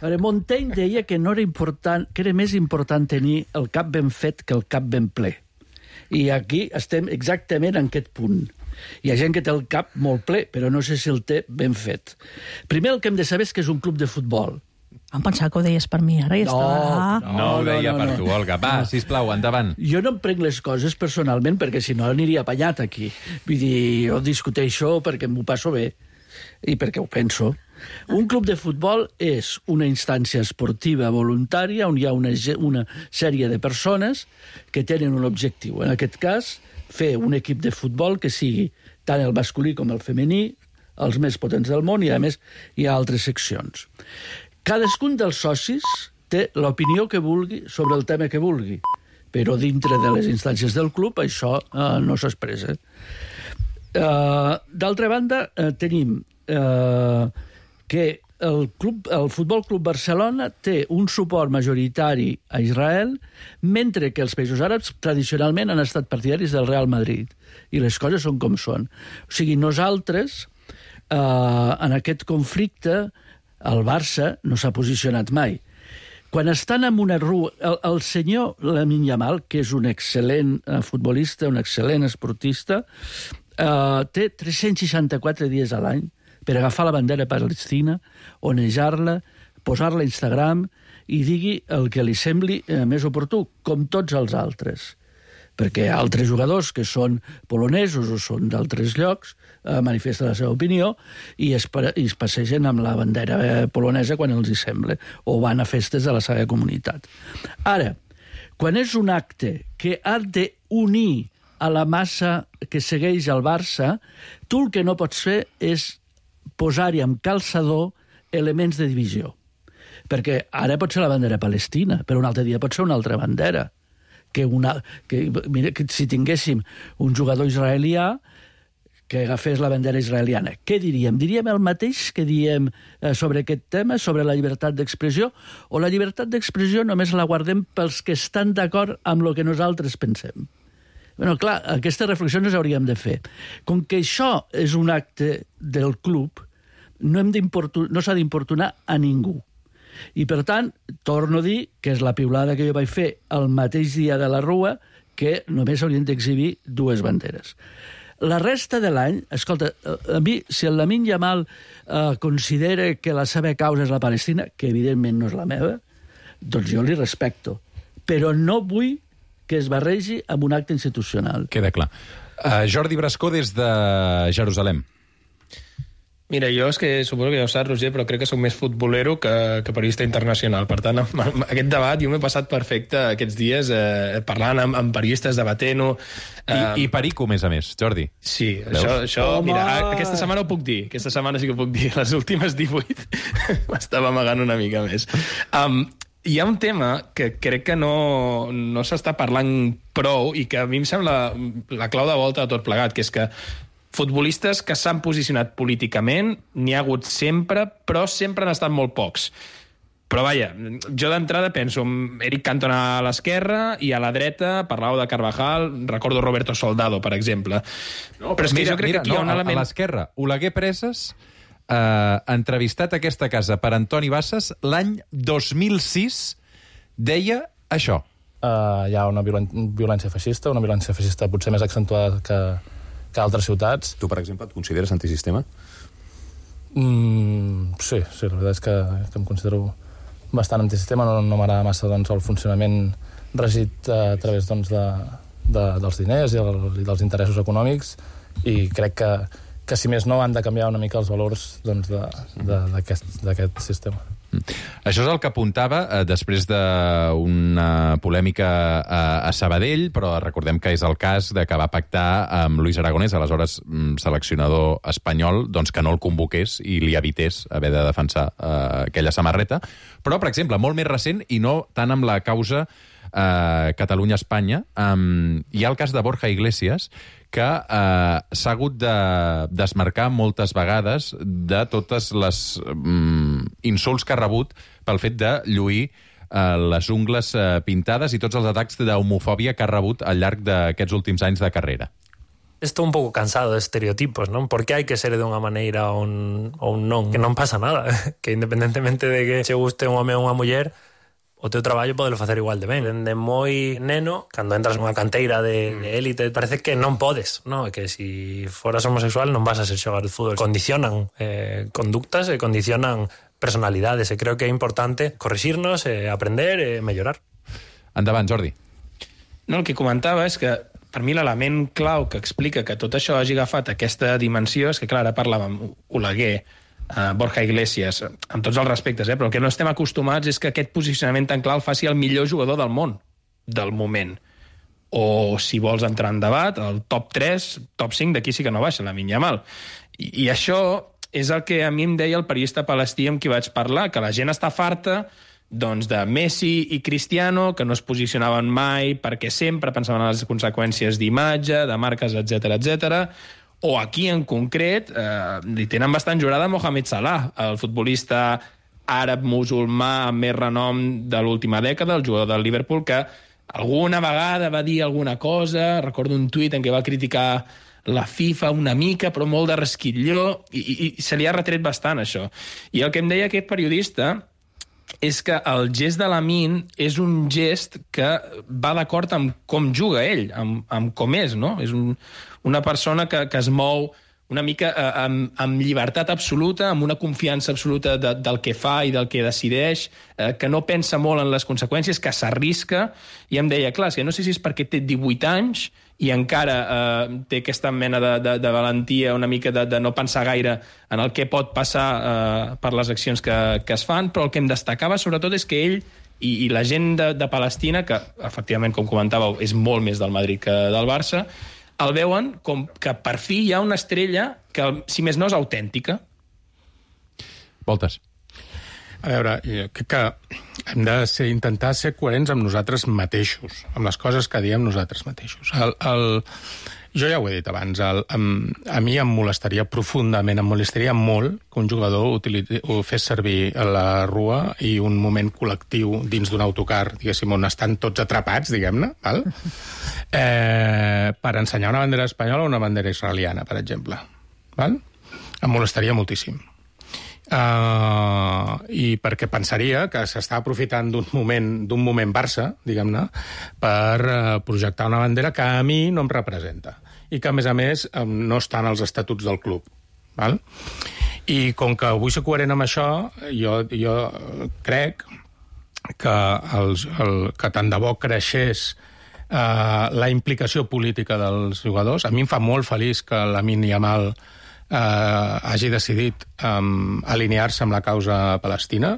clar, Montaigne deia que no era important, que era més important tenir el cap ben fet que el cap ben ple. I aquí estem exactament en aquest punt. Hi ha gent que té el cap molt ple, però no sé si el té ben fet. Primer el que hem de saber és que és un club de futbol. Em pensava que ho deies per mi, ara ja estava... No ho deia per tu, Olga. Va, sisplau, endavant. Jo no em prenc les coses personalment perquè si no aniria apanyat aquí. Vull dir, jo discuteixo perquè m'ho passo bé i perquè ho penso. Un club de futbol és una instància esportiva voluntària on hi ha una sèrie de persones que tenen un objectiu. En aquest cas, fer un equip de futbol que sigui tant el masculí com el femení, els més potents del món, i a més hi ha altres seccions. Cadascun dels socis té l'opinió que vulgui sobre el tema que vulgui, però dintre de les instàncies del club això no s'expressa. D'altra banda, tenim que el Futbol Club Barcelona té un suport majoritari a Israel, mentre que els països àrabs tradicionalment han estat partidaris del Real Madrid. I les coses són com són. O sigui, nosaltres, en aquest conflicte, el Barça no s'ha posicionat mai. Quan estan en una rua... El senyor Lamine Yamal, que és un excel·lent futbolista, un excel·lent esportista, té 364 dies a l'any per agafar la bandera palestina, onejar-la, posar-la a Instagram i digui el que li sembli més oportú, com tots els altres. Perquè altres jugadors que són polonesos o són d'altres llocs manifesten la seva opinió i es passegen amb la bandera polonesa quan els hi sembla, o van a festes de la seva comunitat. Ara, quan és un acte que ha d'unir a la massa que segueix el Barça, tu el que no pots fer és posar-hi amb calçador elements de divisió. Perquè ara pot ser la bandera palestina, però un altre dia pot ser una altra bandera. Mira, que si tinguéssim un jugador israelià que agafés la bandera israeliana, què diríem? Diríem el mateix que diem sobre aquest tema, sobre la llibertat d'expressió, o la llibertat d'expressió només la guardem pels que estan d'acord amb el que nosaltres pensem? Bueno, clar, aquestes reflexions les hauríem de fer. Com que això és un acte del club, no s'ha d'importunar a ningú. I, per tant, torno a dir que és la piulada que jo vaig fer el mateix dia de la Rua, que només haurien d'exhibir dues banderes. La resta de l'any, escolta, a mi, si el Lamine Yamal considera que la seva causa és la Palestina, que evidentment no és la meva, doncs jo li respecto. Però no vull que es barregi amb un acte institucional. Queda clar. Jordi Brascó, des de Jerusalem. Mira, jo és que suposo que ja ho saps, Roger, però crec que soc més futbolero que periodista internacional. Per tant, aquest debat jo m'he passat perfecte aquests dies parlant amb periodistes, debatent-ho. I perico, més a més, Jordi. Sí, això mira, aquesta setmana ho puc dir. Aquesta setmana sí que ho puc dir. Les últimes 18 m'estava amagant una mica més. Hi ha un tema que crec que no s'està parlant prou i que a mi em sembla la clau de volta de tot plegat, que és que futbolistes que s'han posicionat políticament n'hi ha hagut sempre, però sempre han estat molt pocs. Però vaja, jo d'entrada penso en Eric Cantona a l'esquerra i a la dreta parlàveu de Carvajal, recordo Roberto Soldado, per exemple. No, però és que jo crec que aquí hi ha un element... A l'esquerra, Oleguer Preses, entrevistat a aquesta casa per Antoni Bassas, l'any 2006, deia això. Hi ha una violència feixista potser més accentuada que altres ciutats. Tu, per exemple, et consideres antisistema? Sí, la veritat és que em considero bastant antisistema. No m'agrada massa el funcionament regit a través dels diners i dels interessos econòmics, i crec que si més no han de canviar una mica els valors d'aquest sistema. Això és el que apuntava després d'una polèmica a Sabadell, però recordem que és el cas de que va pactar amb Luis Aragonès, aleshores seleccionador espanyol, doncs que no el convoqués i li evités haver de defensar aquella samarreta. Però, per exemple, molt més recent, i no tant amb la causa Catalunya-Espanya, hi ha el cas de Borja Iglesias, que s'ha hagut de desmarcar moltes vegades de totes les insults que ha rebut pel fet de lluir les ungles pintades i tots els atacs d'homofòbia que ha rebut al llarg d'aquests últims anys de carrera. Estou un pouco cansado de estereotipos, non? Por que hai que ser de unha maneira ou un non? Que non pasa nada. Que independentemente de que se guste un home ou unha muller, o teu traballo podelo facer igual de ben. Dende moi neno, cando entras nunha canteira de élite, parece que non podes, non? Que se foras homosexual non vas a ser xogar de fútbol. Condicionan conductas e condicionan personalidades, e creo que é importante corrixirnos, aprender e mellorar. Endavant, Jordi. No, el que comentava és que per mi l'element clau que explica que tot això hagi agafat aquesta dimensió és que, clar, ara parlàvem Oleguer, Borja Iglesias, amb tots els respectes, però el que no estem acostumats és que aquest posicionament tan clar el faci el millor jugador del món, del moment. O, si vols entrar en debat, el top 3, top 5, d'aquí sí que no baixa, Lamine Yamal. I això és el que a mi em deia el periodista palestí amb qui vaig parlar, que la gent està farta doncs, de Messi i Cristiano, que no es posicionaven mai perquè sempre pensaven en les conseqüències d'imatge, de marques, etc. O aquí, en concret, li tenen bastant jurada Mohamed Salah, el futbolista àrab-musulmà amb més renom de l'última dècada, el jugador del Liverpool, que alguna vegada va dir alguna cosa, recordo un tuit en què va criticar la FIFA una mica, però molt de resquitlló, i se li ha retret bastant, això. I el que em deia aquest periodista és que el gest de Lamine és un gest que va d'acord amb com juga ell, amb com és, no? És una persona que es mou una mica amb llibertat absoluta, amb una confiança absoluta del que fa i del que decideix, que no pensa molt en les conseqüències, que s'arrisca, i em deia, clar, que no sé si és perquè té 18 anys i encara té aquesta mena de valentia, una mica de no pensar gaire en el que pot passar per les accions que es fan, però el que em destacava sobretot és que ell i la gent de Palestina, que efectivament, com comentàveu, és molt més del Madrid que del Barça, el veuen com que per fi hi ha una estrella que, si més no, és autèntica. Voltes. A veure, jo crec que hem de intentar ser coherents amb nosaltres mateixos, amb les coses que diem nosaltres mateixos. Jo ja ho he dit abans, a mi em molestaria profundament, em molestaria molt que un jugador fes servir la rua i un moment col·lectiu dins d'un autocar, diguéssim, on estan tots atrapats, diguem-ne, val? Per ensenyar una bandera espanyola o una bandera israeliana, per exemple. Val? Em molestaria moltíssim. I perquè pensaria que s'està aprofitant d'un moment Barça, diguem-ne, per projectar una bandera que a mi no em representa i que, a més, no està en els estatuts del club. Val? I com que vull ser coherent amb això, jo crec que tant de bo creixés la implicació política dels jugadors. A mi em fa molt feliç que Lamine Yamal hagi decidit alinear-se amb la causa palestina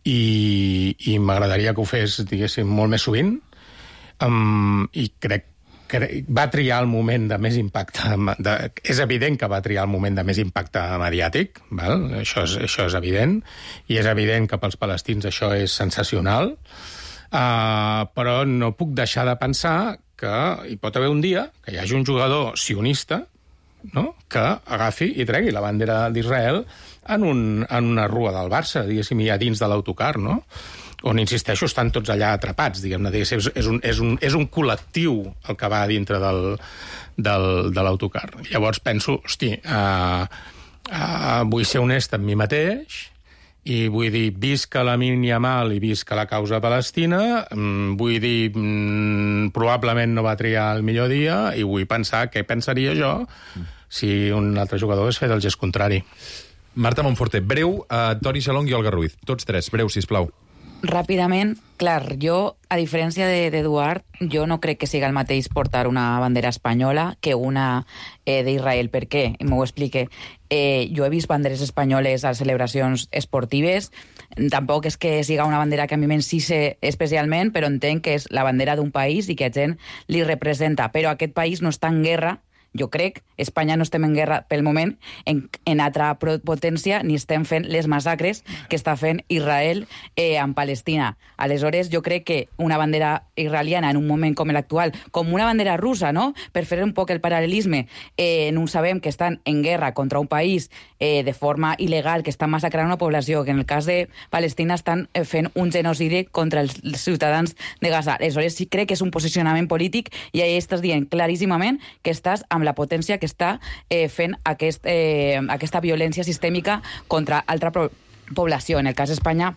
i m'agradaria que ho fes, diguéssim, molt més sovint, i crec que va triar el moment de més impacte, és evident que va triar el moment de més impacte mediàtic, val? Això és evident, i és evident que pels palestins això és sensacional, però no puc deixar de pensar que hi pot haver un dia que hi hagi un jugador sionista, no?, que agafi i tregui la bandera d'Israel en una rua del Barça, diguéssim, ja dins de l'autocar, no?, on, insisteixo, estan tots allà atrapats, diguem-ne, és un col·lectiu el que va dintre de l'autocar. Llavors penso, hosti, vull ser honest amb mi mateix, i vull dir, visca Lamine Yamal i visca la causa palestina, vull dir, probablement no va triar el millor dia, i vull pensar què pensaria jo si un altre jugador hagués fet el gest contrari. Marta Monforte, breu, Toni Xalong i Olga Ruiz. Tots tres, breu, sisplau. Ràpidament, clar, jo, a diferència d'Eduard, jo no crec que siga el mateix portar una bandera espanyola que una d'Israel. Per què? M'ho explique. Jo he vist banderes espanyoles a celebracions esportives. Tampoc és que siga una bandera que a mi m'encise especialment, però entenc que és la bandera d'un país i que a gent li representa. Però aquest país no està en guerra jo crec, Espanya no estem en guerra pel moment en altra potència ni estem fent les massacres que està fent Israel en Palestina. Aleshores, jo crec que una bandera israeliana en un moment com l'actual, com una bandera russa, no? Per fer un poc el paral·lelisme, no sabem que estan en guerra contra un país de forma il·legal, que estan massacrant una població, que en el cas de Palestina estan fent un genocidi contra els ciutadans de Gaza. Aleshores, sí crec que és un posicionament polític i ahí estàs dient claríssimament que estàs amb la potència que està fent aquesta violència sistèmica contra altra població. En el cas d'Espanya,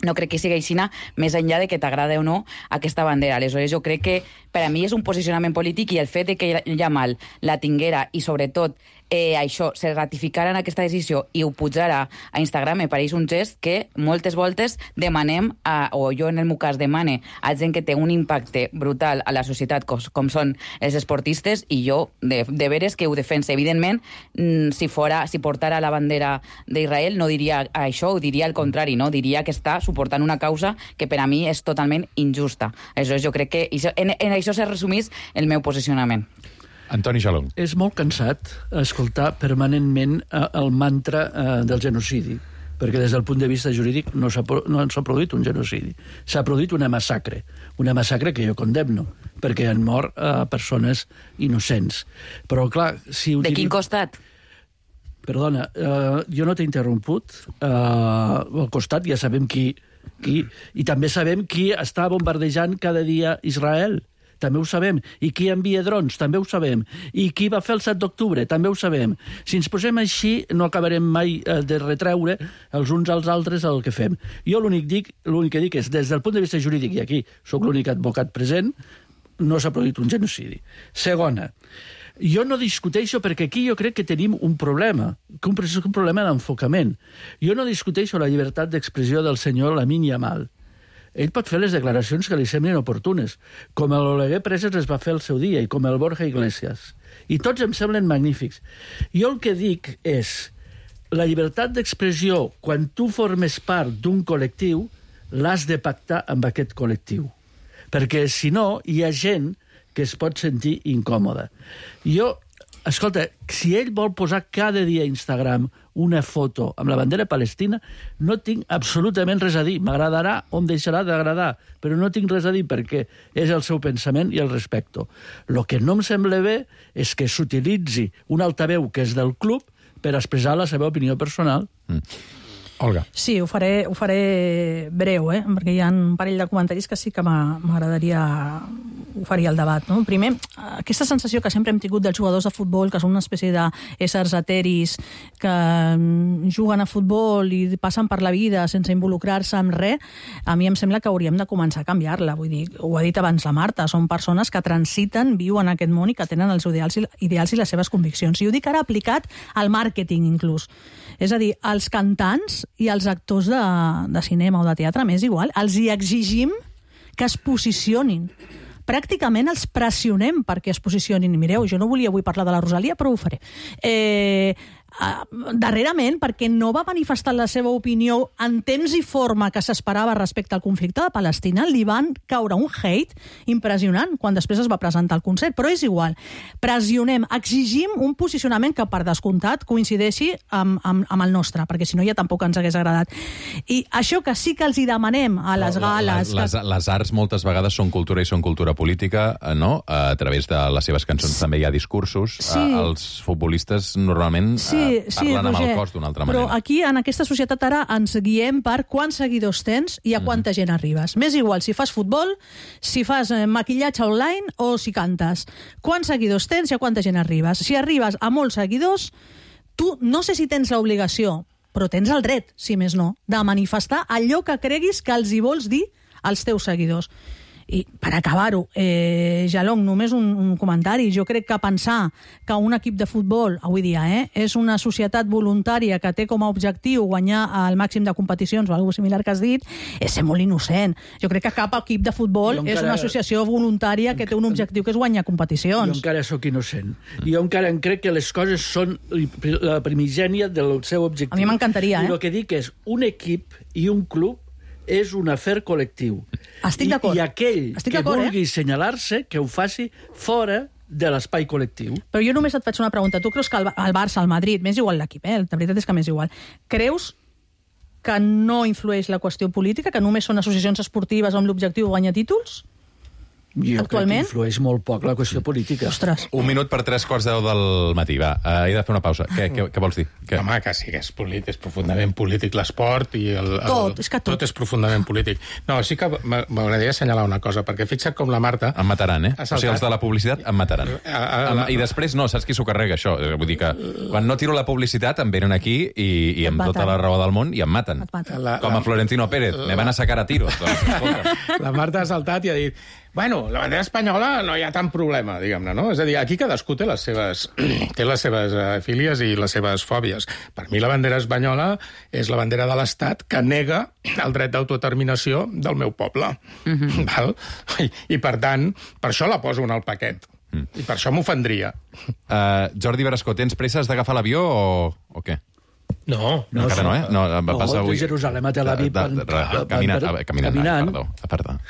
no crec que sigui així, més enllà de que t'agrada o no aquesta bandera. Aleshores, jo crec que per a mi és un posicionament polític i el fet de que Yamal la tinguera i, sobretot, això, se ratificara en aquesta decisió i ho pujara a Instagram, me pareix un gest que moltes voltes demanem, o jo en el meu cas demane, a gent que té un impacte brutal a la societat, com són els esportistes, i jo de veres que ho defense. Evidentment, si portara la bandera d'Israel, no diria això, ho diria al contrari, no? Diria que està suportant una causa que per a mi és totalment injusta. Aleshores, jo crec que en això se resumís el meu posicionament. Antoni Jalón. És molt cansat escoltar permanentment el mantra del genocidi, perquè des del punt de vista jurídic no s'ha produït un genocidi. S'ha produït una massacre que jo condemno, perquè han mort persones innocents. Però, clar, si... De quin costat? Perdona, jo no t'he interromput. Al costat ja sabem qui... I també sabem qui està bombardejant cada dia Israel. També ho sabem. I qui envia drons? També ho sabem. I qui va fer el 7 d'octubre? També ho sabem. Si ens posem així, no acabarem mai de retreure els uns als altres el que fem. Jo l'únic que dic és, des del punt de vista jurídic, i aquí sóc l'únic advocat present, no s'ha produït un genocidi. Segona, jo no discuteixo, perquè aquí jo crec que tenim un problema, un problema d'enfocament. Jo no discuteixo la llibertat d'expressió del senyor Lamine Yamal. Ell pot fer les declaracions que li semblin oportunes, com l'Oleguer Preses es va fer el seu dia, i com el Borja Iglesias. I tots em semblen magnífics. Jo el que dic és, la llibertat d'expressió, quan tu formes part d'un col·lectiu, l'has de pactar amb aquest col·lectiu. Perquè, si no, hi ha gent que es pot sentir incòmoda. Escolta, si ell vol posar cada dia a Instagram una foto amb la bandera palestina, no tinc absolutament res a dir. M'agradarà o em deixarà d'agradar, però no tinc res a dir perquè és el seu pensament i el respecto. El que no em sembla bé és que s'utilitzi un altaveu que és del club per expressar la seva opinió personal. Olga. Sí, ho faré breu, perquè hi ha un parell de comentaris que sí que m'agradaria oferir al debat. No? Primer, aquesta sensació que sempre hem tingut dels jugadors de futbol, que són una espècie d'éssers eteris que juguen a futbol i passen per la vida sense involucrar-se en res, a mi em sembla que hauríem de començar a canviar-la. Vull dir, ho ha dit abans la Marta, són persones que transiten, viuen aquest món i que tenen els ideals i les seves conviccions. I ho dic ara aplicat al màrqueting, inclús. És a dir, els cantants i els actors de cinema o de teatre, m'és igual, els hi exigim que es posicionin. Pràcticament els pressionem perquè es posicionin. Mireu, jo no volia avui parlar de la Rosalia, però ho faré. Darrerament, perquè no va manifestar la seva opinió en temps i forma que s'esperava respecte al conflicte de Palestina, li van caure un hate impressionant quan després es va presentar el concert, però és igual. Pressionem, exigim un posicionament que per descomptat coincideixi amb el nostre, perquè si no ja tampoc ens hagués agradat. I això que sí que els hi demanem a les gales... Les arts moltes vegades són cultura i són cultura política, no? A través de les seves cançons també hi ha discursos. Sí. Els futbolistes normalment... parlen amb el cos d'una altra manera. Però aquí, en aquesta societat, ara ens guiem per quants seguidors tens i a quanta gent arribes. M'és igual si fas futbol, si fas maquillatge online o si cantes. Quants seguidors tens i a quanta gent arribes. Si arribes a molts seguidors, tu no sé si tens l'obligació, però tens el dret, si més no, de manifestar allò que creguis que els hi vols dir als teus seguidors. I per acabar-ho, Jalong, només un comentari. Jo crec que pensar que un equip de futbol, avui dia, és una societat voluntària que té com a objectiu guanyar el màxim de competicions o alguna cosa similar que has dit, és ser molt innocent. Jo crec que cap equip de futbol és una associació voluntària que té un objectiu que és guanyar competicions. Jo encara sóc innocent. Jo encara crec que les coses són la primigènia del seu objectiu. A mi m'encantaria, I el que dic és, un equip i un club és un afer col·lectiu. Estic d'acord. I aquell que vulgui assenyalar-se, que ho faci fora de l'espai col·lectiu. Però jo només et faig una pregunta. Tu creus que el Barça, el Madrid, m'és igual l'equip, la veritat és que m'és igual, creus que no influeix la qüestió política, que només són associacions esportives amb l'objectiu de guanyar títols? Jo Actualment? crec que influeix molt poc la qüestió política. Ostres. 1 minut per 3:15 del matí, va. He de fer una pausa. Què vols dir? Home, que sí que és profundament polític l'esport i Tot, és que tot. Tot és profundament polític. No, sí que m'agradaria assenyalar una cosa, perquè fixa't com la Marta... Em mataran, O sigui, els de la publicitat em mataran. I després, no, saps qui s'ho carrega, això? Vull dir que quan no tiro la publicitat em venen aquí i amb tota la raó del món i em maten. Com a Florentino Pérez. Me van a sacar a tiros. La Marta ha saltat i ha dit bueno, la bandera espanyola no hi ha tant problema, diguem-ne, no? És a dir, aquí cadascú té les seves fílies i les seves fòbies. Per mi la bandera espanyola és la bandera de l'Estat que nega el dret d'autodeterminació del meu poble. Val? I, per tant, per això la poso en el paquet. I per això m'ofendria. Jordi Berascó, tens presses d'agafar l'avió o què? No. Encara no, No, va passar avui... de Jerusalem a Tel Aviv...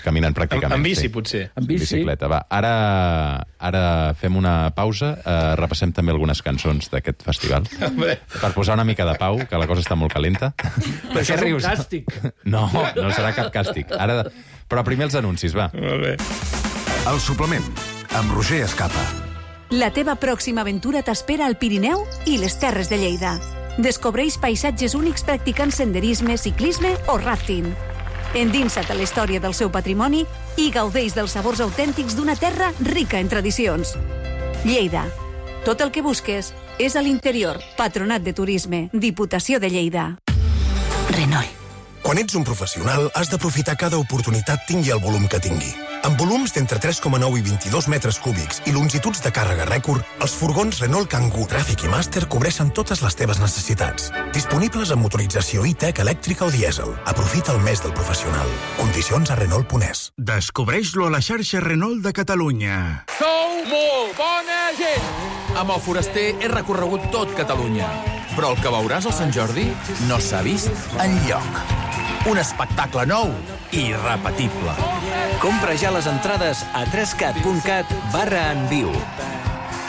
Caminant pràcticament. En bici, potser. En bici. Bicicleta, va. Ara fem una pausa, repassem també algunes cançons d'aquest festival, per posar una mica de pau, que la cosa està molt calenta. Però això és un càstig. No serà cap càstig. Però primer els anuncis, va. Molt bé. El suplement, amb Roger Escapa. La teva pròxima aventura t'espera al Pirineu i les Terres de Lleida. Descobreix paisatges únics practicant senderisme, ciclisme o rafting. Endinsa't a la història del seu patrimoni i gaudeix dels sabors autèntics d'una terra rica en tradicions. Lleida. Tot el que busques és a l'interior. Patronat de Turisme. Diputació de Lleida. Renault. Quan ets un professional, has d'aprofitar cada oportunitat tingui el volum que tingui. Amb volums d'entre 3,9 i 22 metres cúbics i longituds de càrrega rècord, els furgons Renault Kangoo, Tràfic i Master cobreixen totes les teves necessitats. Disponibles amb motorització e-tech, elèctrica o dièsel. Aprofita el mes del professional. Condicions a Renault.es. Descobreix-lo a la xarxa Renault de Catalunya. Sou molt bona gent! Amb el Foraster he recorregut tot Catalunya, però el que veuràs al Sant Jordi no s'ha vist enlloc. Un espectacle nou i irrepetible. Compra ja les entrades a 3cat.cat/enviu.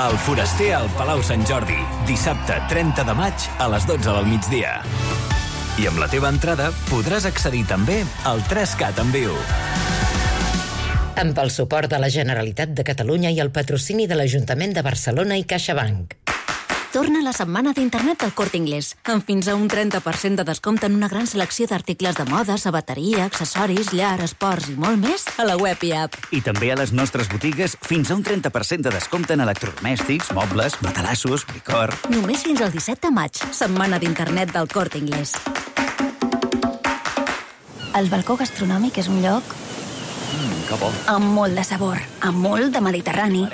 El Foraster al Palau Sant Jordi, dissabte 30 de maig a les 12 del migdia. I amb la teva entrada podràs accedir també al 3Cat en viu. Amb el suport de la Generalitat de Catalunya i el patrocini de l'Ajuntament de Barcelona i CaixaBank. Torna la setmana d'internet del Corte Inglés, amb fins a un 30% de descompte en una gran selecció d'articles de moda, sabateria, accessoris, llar, esports i molt més a la web i app. I també a les nostres botigues fins a un 30% de descompte en electrodomèstics, mobles, matalassos, licor... Només fins al 17 de maig, setmana d'internet del Corte Inglés. El balcó gastronòmic és un lloc que bo. Amb molt de sabor, amb molt de Mediterrani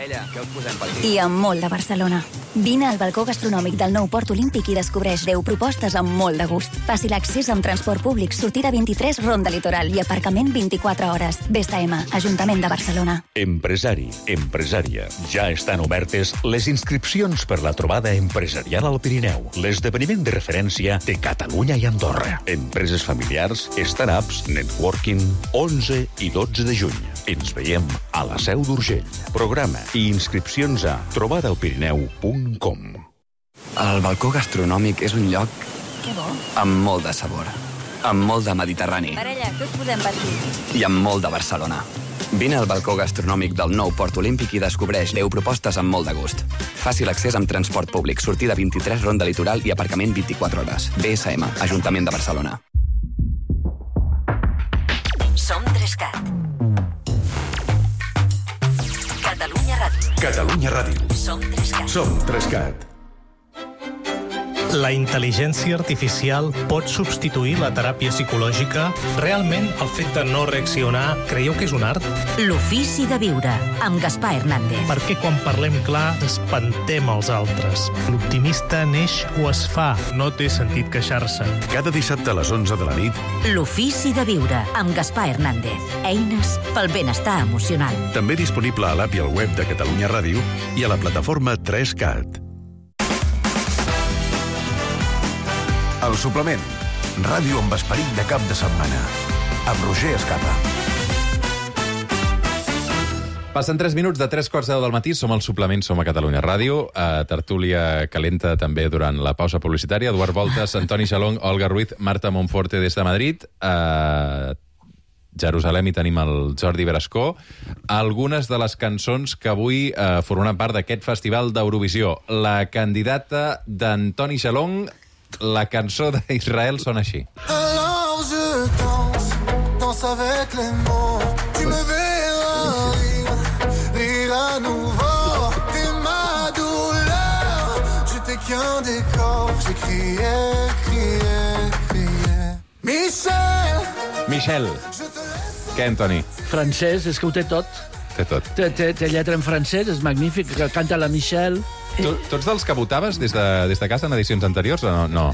i amb molt de Barcelona. Vine al balcó gastronòmic del nou Port Olímpic i descobreix 10 propostes amb molt de gust. Fàcil accés amb transport públic, sortida 23, Ronda Litoral i aparcament 24 hores. BSM, Ajuntament de Barcelona. Empresari, empresària. Ja estan obertes les inscripcions per la trobada empresarial al Pirineu, l'esdeveniment de referència de Catalunya i Andorra. Empreses familiars, startups, networking, 11 i 12 de juny. Ens veiem a la Seu d'Urgell. Programa i inscripcions a trobadaelpirineu.com. El balcó gastronòmic és un lloc amb molt de sabor, amb molt de Mediterrani Parella, que us posem per aquí? i amb molt de Barcelona. Vine al balcó gastronòmic del nou Port Olímpic i descobreix 10 propostes amb molt de gust. Fàcil accés amb transport públic, sortida 23, Ronda Litoral i aparcament 24 hores. BSM, Ajuntament de Barcelona. Som 3Cat. Catalunya Ràdio. Catalunya Ràdio. Som 3Cat. Som 3Cat. La intel·ligència artificial pot substituir la teràpia psicològica? Realment, el fet de no reaccionar, creieu que és un art? L'ofici de viure, amb Gaspar Hernández. Perquè quan parlem clar, espantem els altres. L'optimista neix o es fa, no té sentit queixar-se. Cada dissabte a les 11 de la nit, L'ofici de viure, amb Gaspar Hernández. Eines pel benestar emocional. també disponible a l'app i al web de Catalunya Ràdio i a la plataforma 3Cat. El suplement. Ràdio amb esperit de cap de setmana. Amb Roger Escapa. Passen 3 minuts de 3:15 del matí, som al suplement, som a Catalunya Ràdio, a tertúlia calenta també durant la pausa publicitària. Eduard Voltas, Antoni Xalong, Olga Ruiz, Marta Monforte des de Madrid. A Jerusalem hi tenim el Jordi Brascó. Algunes de les cançons que avui formen part d'aquest festival d'Eurovisió. La candidata d'Antoni Xalong, la cançó d'Israel sona així. Alors je danse avec les mots. Tu me verras rire à nouveau. T'es ma douleur. Je t'ai qu'un décor. J'ai crié. Michel. Què, Antoni? Francès, és que ho té tot. Té tot. Té lletra en francès, és magnífic, que canta la Michel. Tu ets dels que votaves des de casa en edicions anteriors o no?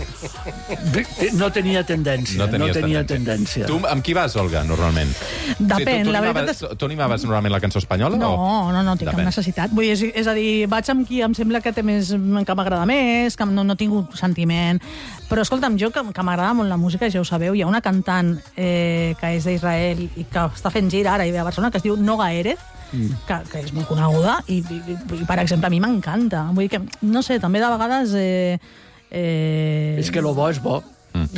No tenia tendència. No tenia tendència. Tu amb qui vas, Olga, normalment? Depèn, la veritat és... Tu animaves normalment la cançó espanyola? No, tinc cap necessitat. Vull dir, és a dir, vaig amb qui em sembla que té més, que m'agrada més, que no tinc sentiment. Però, escolta'm, jo, que m'agrada molt la música, ja ho sabeu, hi ha una cantant que és d'Israel i que està fent gir ara i ve a Barcelona, que es diu Noga Erez, que és molt coneguda i, per exemple, a mi m'encanta. Vull dir que, no sé, també de vegades... És que lo bo és bo.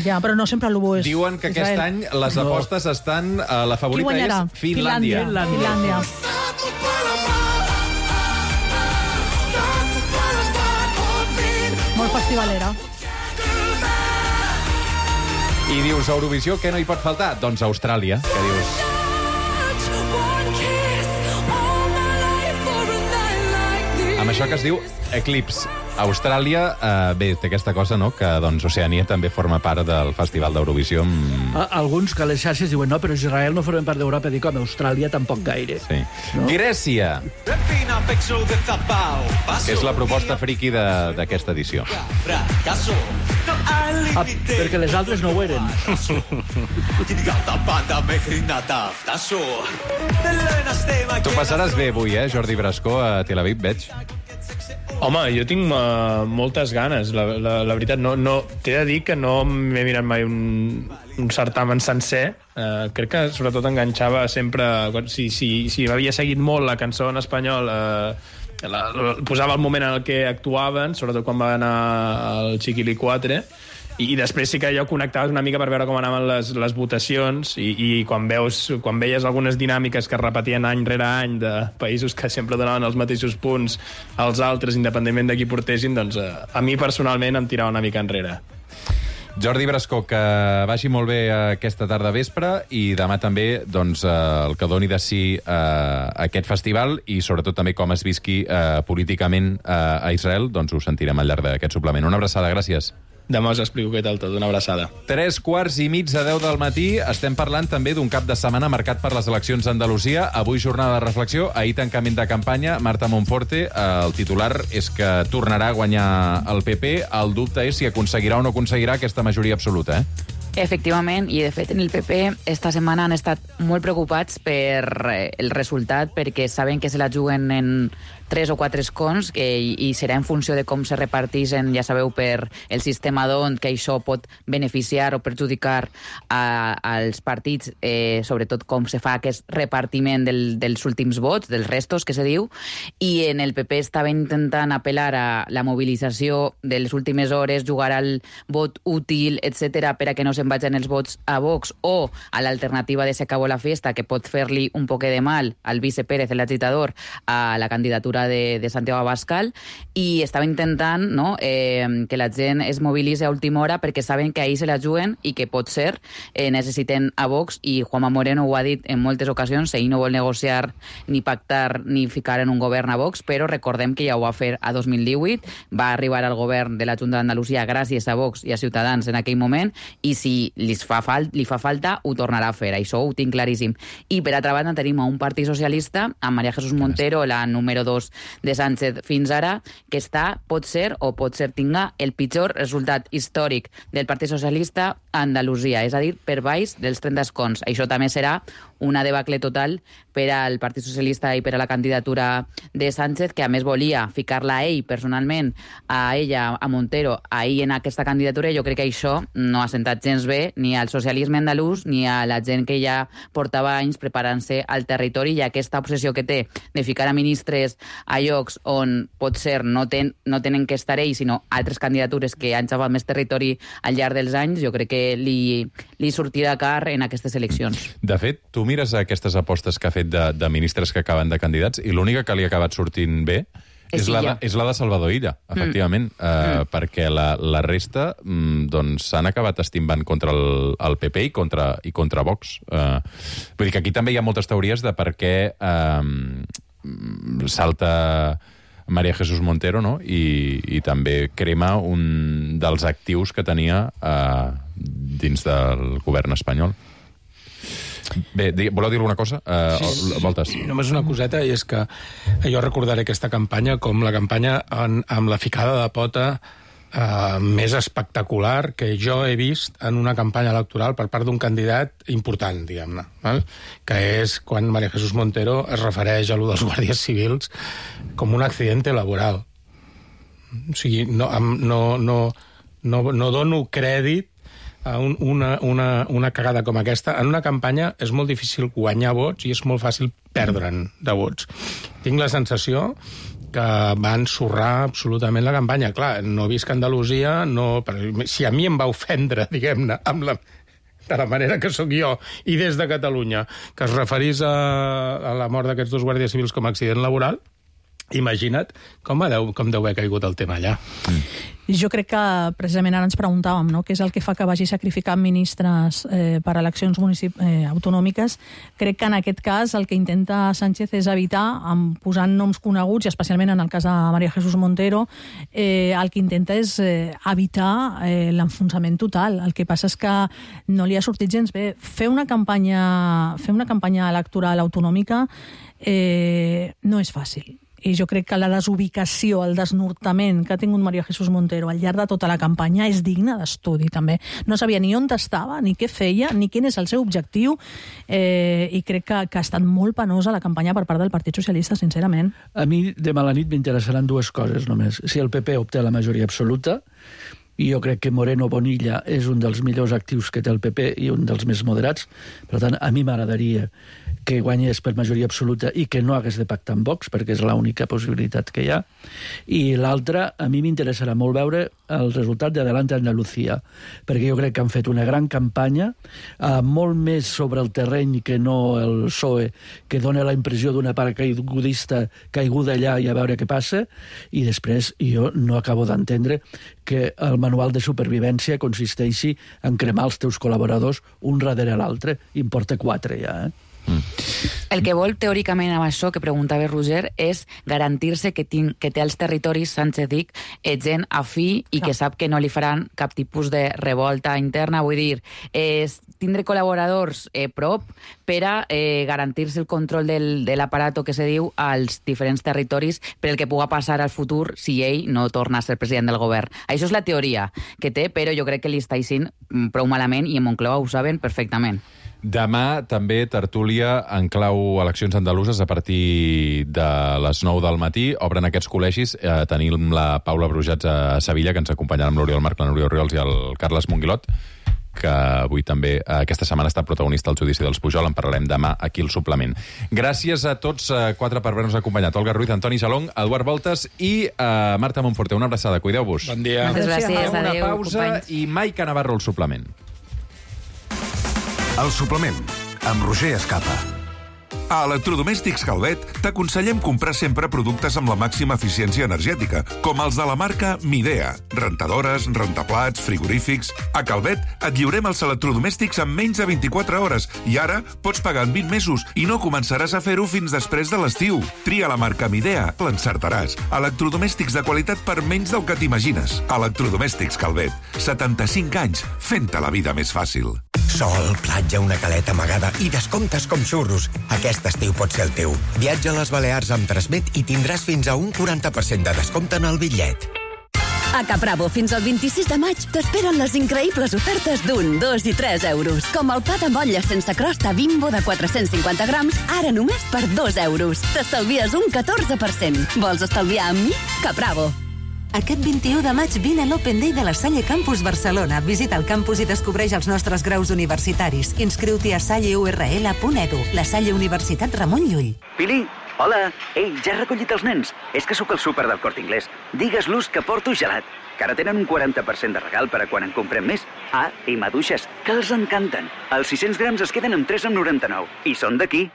Ja, però no sempre lo bo és Diuen que aquest any les apostes estan... La favorita és Finlàndia. Molt festivalera. I dius, a Eurovisió, què no hi pot faltar? Doncs Austràlia, que dius... Amb això que es diu Eclipse. Austràlia, bé, té aquesta cosa, no?, que doncs, Oceania també forma part del Festival d'Eurovisió. Alguns que a les xarxes diuen no, però Israel no forma part d'Europa. Dic, home, Austràlia tampoc gaire. Sí. No? Grècia, que és la proposta friqui d'aquesta edició. Perquè les altres no ho eren. Tu passaràs bé avui, Jordi Brascó, a Tel Aviv, veig. Home, jo tinc moltes ganes, la veritat. T'he de dir que no m'he mirat mai un certamen sencer. Crec que sobretot enganxava sempre... Si m'havia seguit molt la cançó en espanyol, posava el moment en el que actuaven, sobretot quan va anar el Chiquilicuatre, i després sí que allò connectaves una mica per veure com anaven les votacions i quan veies algunes dinàmiques que es repetien any rere any de països que sempre donaven els mateixos punts als altres, independentment de qui portessin, doncs a mi personalment em tirava una mica enrere. Jordi Brascó, que vagi molt bé aquesta tarda vespre i demà també doncs, el que doni de si aquest festival i sobretot també com es visqui políticament a Israel, doncs ho sentirem al llarg d'aquest suplement. Una abraçada, gràcies. Demà us explico què tal tot. Una abraçada. 3:15 del matí. Estem parlant també d'un cap de setmana marcat per les eleccions a Andalusia. Avui jornada de reflexió, ahir tancament de campanya. Marta Monforte, el titular és que tornarà a guanyar el PP. El dubte és si aconseguirà o no aconseguirà aquesta majoria absoluta, Efectivament, i de fet en el PP esta setmana han estat molt preocupats per el resultat perquè saben que se la juguen en 3 o 4 escons i serà en funció de com se reparteixen, ja sabeu, per el sistema d'ont, que això pot beneficiar o perjudicar als partits, sobretot com se fa aquest repartiment dels últims vots, dels restos, que se diu, i en el PP estava intentant apel·lar a la mobilització de les últimes hores, jugar al vot útil, etc per a que no se'n vagin els vots a Vox o a l'alternativa de Se acabó la fiesta, que pot fer-li un poquet de mal al vice Pérez, l'agitador, a la candidatura de Santiago Abascal, i estava intentant que la gent es mobilitzi a última hora perquè saben que ahir se la juguen i que pot ser necessiten a Vox, i Juanma Moreno ho ha dit en moltes ocasions, ell no vol negociar ni pactar ni ficar en un govern a Vox, però recordem que ja ho va fer a 2018, va arribar al govern de la Junta d'Andalusia gràcies a Vox i a Ciutadans en aquell moment, i si li fa falta, ho tornarà a fer. Això ho tinc claríssim. I per altra banda tenim un partit socialista, amb María Jesús Montero, la número 2 de Sánchez fins ara, que pot ser tinga el pitjor resultat històric del Partit Socialista a Andalusia, és a dir, per baix dels 30 escons. Això també serà una debacle total per al Partit Socialista i per a la candidatura de Sánchez, que a més volia ficar-la a ell personalment, a ella, a Montero, a ell en aquesta candidatura. Jo crec que això no ha sentat gens bé ni al socialisme andalús ni a la gent que ja portava anys preparant-se al territori, i aquesta obsessió que té de ficar a ministres a llocs on potser no tenen que estar ells, sinó altres candidatures que han xapat més territori al llarg dels anys, jo crec que li sortirà car en aquestes eleccions. De fet, tu mires aquestes apostes que ha fet de ministres que acaben de candidats i l'única que li ha acabat sortint bé és la de Salvador Illa, efectivament, perquè la resta s'han acabat estimbant contra el PP i contra Vox. Vull dir que aquí també hi ha moltes teories de per què salta María Jesús Montero, no? I també crema un dels actius que tenia dins del govern espanyol. Bé, voleu dir alguna cosa? Voltes. Només una coseta, i és que jo recordaré aquesta campanya com la campanya amb la ficada de pota més espectacular que jo he vist en una campanya electoral per part d'un candidat important, diguem-ne, que és quan María Jesús Montero es refereix a allò dels guàrdies civils com un accidente laboral. O sigui, no dono crèdit a una cagada com aquesta. En una campanya és molt difícil guanyar vots i és molt fàcil perdre'n de vots. Tinc la sensació que va ensorrar absolutament la campanya. Clar, no visc a Andalusia, si a mi em va ofendre, diguem-ne, de la manera que sóc jo, i des de Catalunya, que es referís a la mort d'aquests 2 guàrdies civils com a accident laboral, imagina't com deu haver caigut el tema allà. Jo crec que precisament ara ens preguntàvem, no?, què és el que fa que vagi sacrificant ministres per eleccions autonòmiques. Crec que en aquest cas el que intenta Sánchez és evitar, posant noms coneguts, i especialment en el cas de María Jesús Montero, el que intenta és evitar l'enfonsament total. El que passa és que no li ha sortit gens bé. Fer una campanya electoral autonòmica no és fàcil. I jo crec que la desubicació, el desnortament que ha tingut María Jesús Montero al llarg de tota la campanya és digne d'estudi, també. No sabia ni on estava, ni què feia, ni quin és el seu objectiu, i crec que ha estat molt penosa la campanya per part del Partit Socialista, sincerament. A mi, demà a la nit, m'interessaran 2 coses només. Si el PP obté la majoria absoluta, i jo crec que Moreno Bonilla és un dels millors actius que té el PP i un dels més moderats, per tant, a mi m'agradaria que guanyés per majoria absoluta i que no hagués de pactar amb Vox, perquè és l'única possibilitat que hi ha. I l'altra, a mi m'interessarà molt veure el resultat d'Adelante Andalucía, perquè jo crec que han fet una gran campanya, molt més sobre el terreny que no el PSOE, que dona la impressió d'una part caigudista caiguda allà i a veure què passa, i després jo no acabo d'entendre que el manual de supervivència consisteixi en cremar els teus col·laboradors un darrere l'altre. Importa 4 ja, El que vol, teòricament, amb això que preguntava Roger, és garantir-se que té als territoris, Sánchez dic, gent afí i que sap que no li faran cap tipus de revolta interna. Vull dir, tindre col·laboradors prop per a garantir-se el control de l'aparato que se diu als diferents territoris per el que puga passar al futur si ell no torna a ser president del govern. Això és la teoria que té, però jo crec que li està eixint prou malament i en Moncloa ho saben perfectament. Demà també tertúlia en clau eleccions andaluses a partir de les 9 del matí. Obren aquests col·legis. Tenim la Paula Brujats a Sevilla, que ens acompanyarà amb l'Oriol Marc, la Núria Oriols i el Carles Monguilot, que avui també, aquesta setmana, està protagonista al judici dels Pujol. En parlarem demà aquí al suplement. Gràcies a tots 4 per haver-nos acompanyat. Olga Ruiz, Antoni Salong, Eduard Voltes i Marta Monforte. Una abraçada, cuideu-vos. Bon dia. Moltes gràcies. Una Adéu, pausa companys. i Maica Navarro al suplement. El suplement, amb Roger Escapa. A Electrodomèstics Calvet t'aconsellem comprar sempre productes amb la màxima eficiència energètica, com els de la marca Midea. Rentadores, rentaplats, frigorífics... A Calvet et lliurem els electrodomèstics en menys de 24 hores i ara pots pagar en 20 mesos i no començaràs a fer-ho fins després de l'estiu. Tria la marca Midea, l'encertaràs. Electrodomèstics de qualitat per menys del que t'imagines. Electrodomèstics Calvet. 75 anys fent-te la vida més fàcil. Sol, platja, una caleta amagada i descomptes com xurros. Aquest estiu pot ser el teu. Viatja a les Balears amb Transmet i tindràs fins a un 40% de descompte en el bitllet. A Capravo, fins al 26 de maig, t'esperen les increïbles ofertes d'1, 2 i 3 euros. Com el pa de motlla sense crosta Bimbo de 450 grams, ara només per 2 euros. T'estalvies un 14%. Vols estalviar amb mi? Capravo. Aquest 21 de maig vine a l'Open Day de la Salle Campus Barcelona. Visita el campus i descobreix els nostres graus universitaris. Inscriu-t'hi a salleurl.edu. La Salle Universitat Ramon Llull. Pili, hola. Ei, ja he recollit els nens. És que sóc al súper del Corte Inglés. Digues-los que porto gelat, que ara tenen un 40% de regal per a quan en comprem més. Ah, i maduixes, que els encanten. Els 600 grams es queden amb 3,99. I són d'aquí.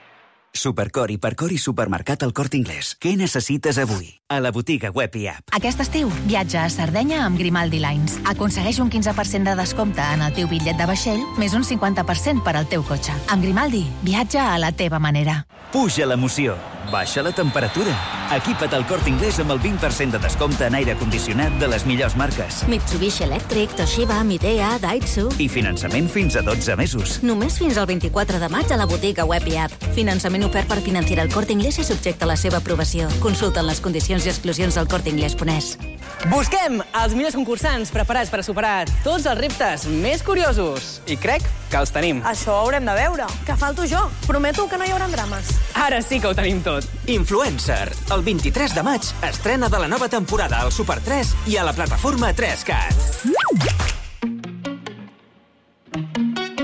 Supercor, Hipercor i Supermercat al Corte Inglés. Què necessites avui? A la botiga web i app. Aquest estiu, viatja a Sardenya amb Grimaldi Lines. Aconsegueix un 15% de descompte en el teu bitllet de vaixell, més un 50% per al teu cotxe. Amb Grimaldi, viatja a la teva manera. Puja l'emoció, baixa la temperatura. Equipa't al Corte Inglés amb el 20% de descompte en aire condicionat de les millors marques. Mitsubishi Electric, Toshiba, Midea, Daihatsu... I finançament fins a 12 mesos. Només fins al 24 de maig a la botiga web i app. Finançament ofert per Financiera El Corte Inglés i subjecte a la seva aprovació. Consulta les condicions i exclusions al corteinglés.es. Busquem els millors concursants preparats per a superar tots els reptes més curiosos. I crec que els tenim. Això ho haurem de veure. Que falto jo. Prometo que no hi haurà drames. Ara sí que ho tenim tot. Influencer. El 23 de maig estrena de la nova temporada al Super 3 i a la plataforma 3CAT.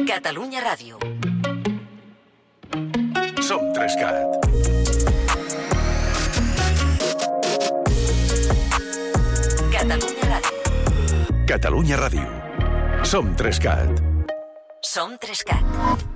Catalunya Ràdio. Som 3CAT. Catalunya Ràdio. Catalunya Ràdio. Som 3CAT. Som 3CAT.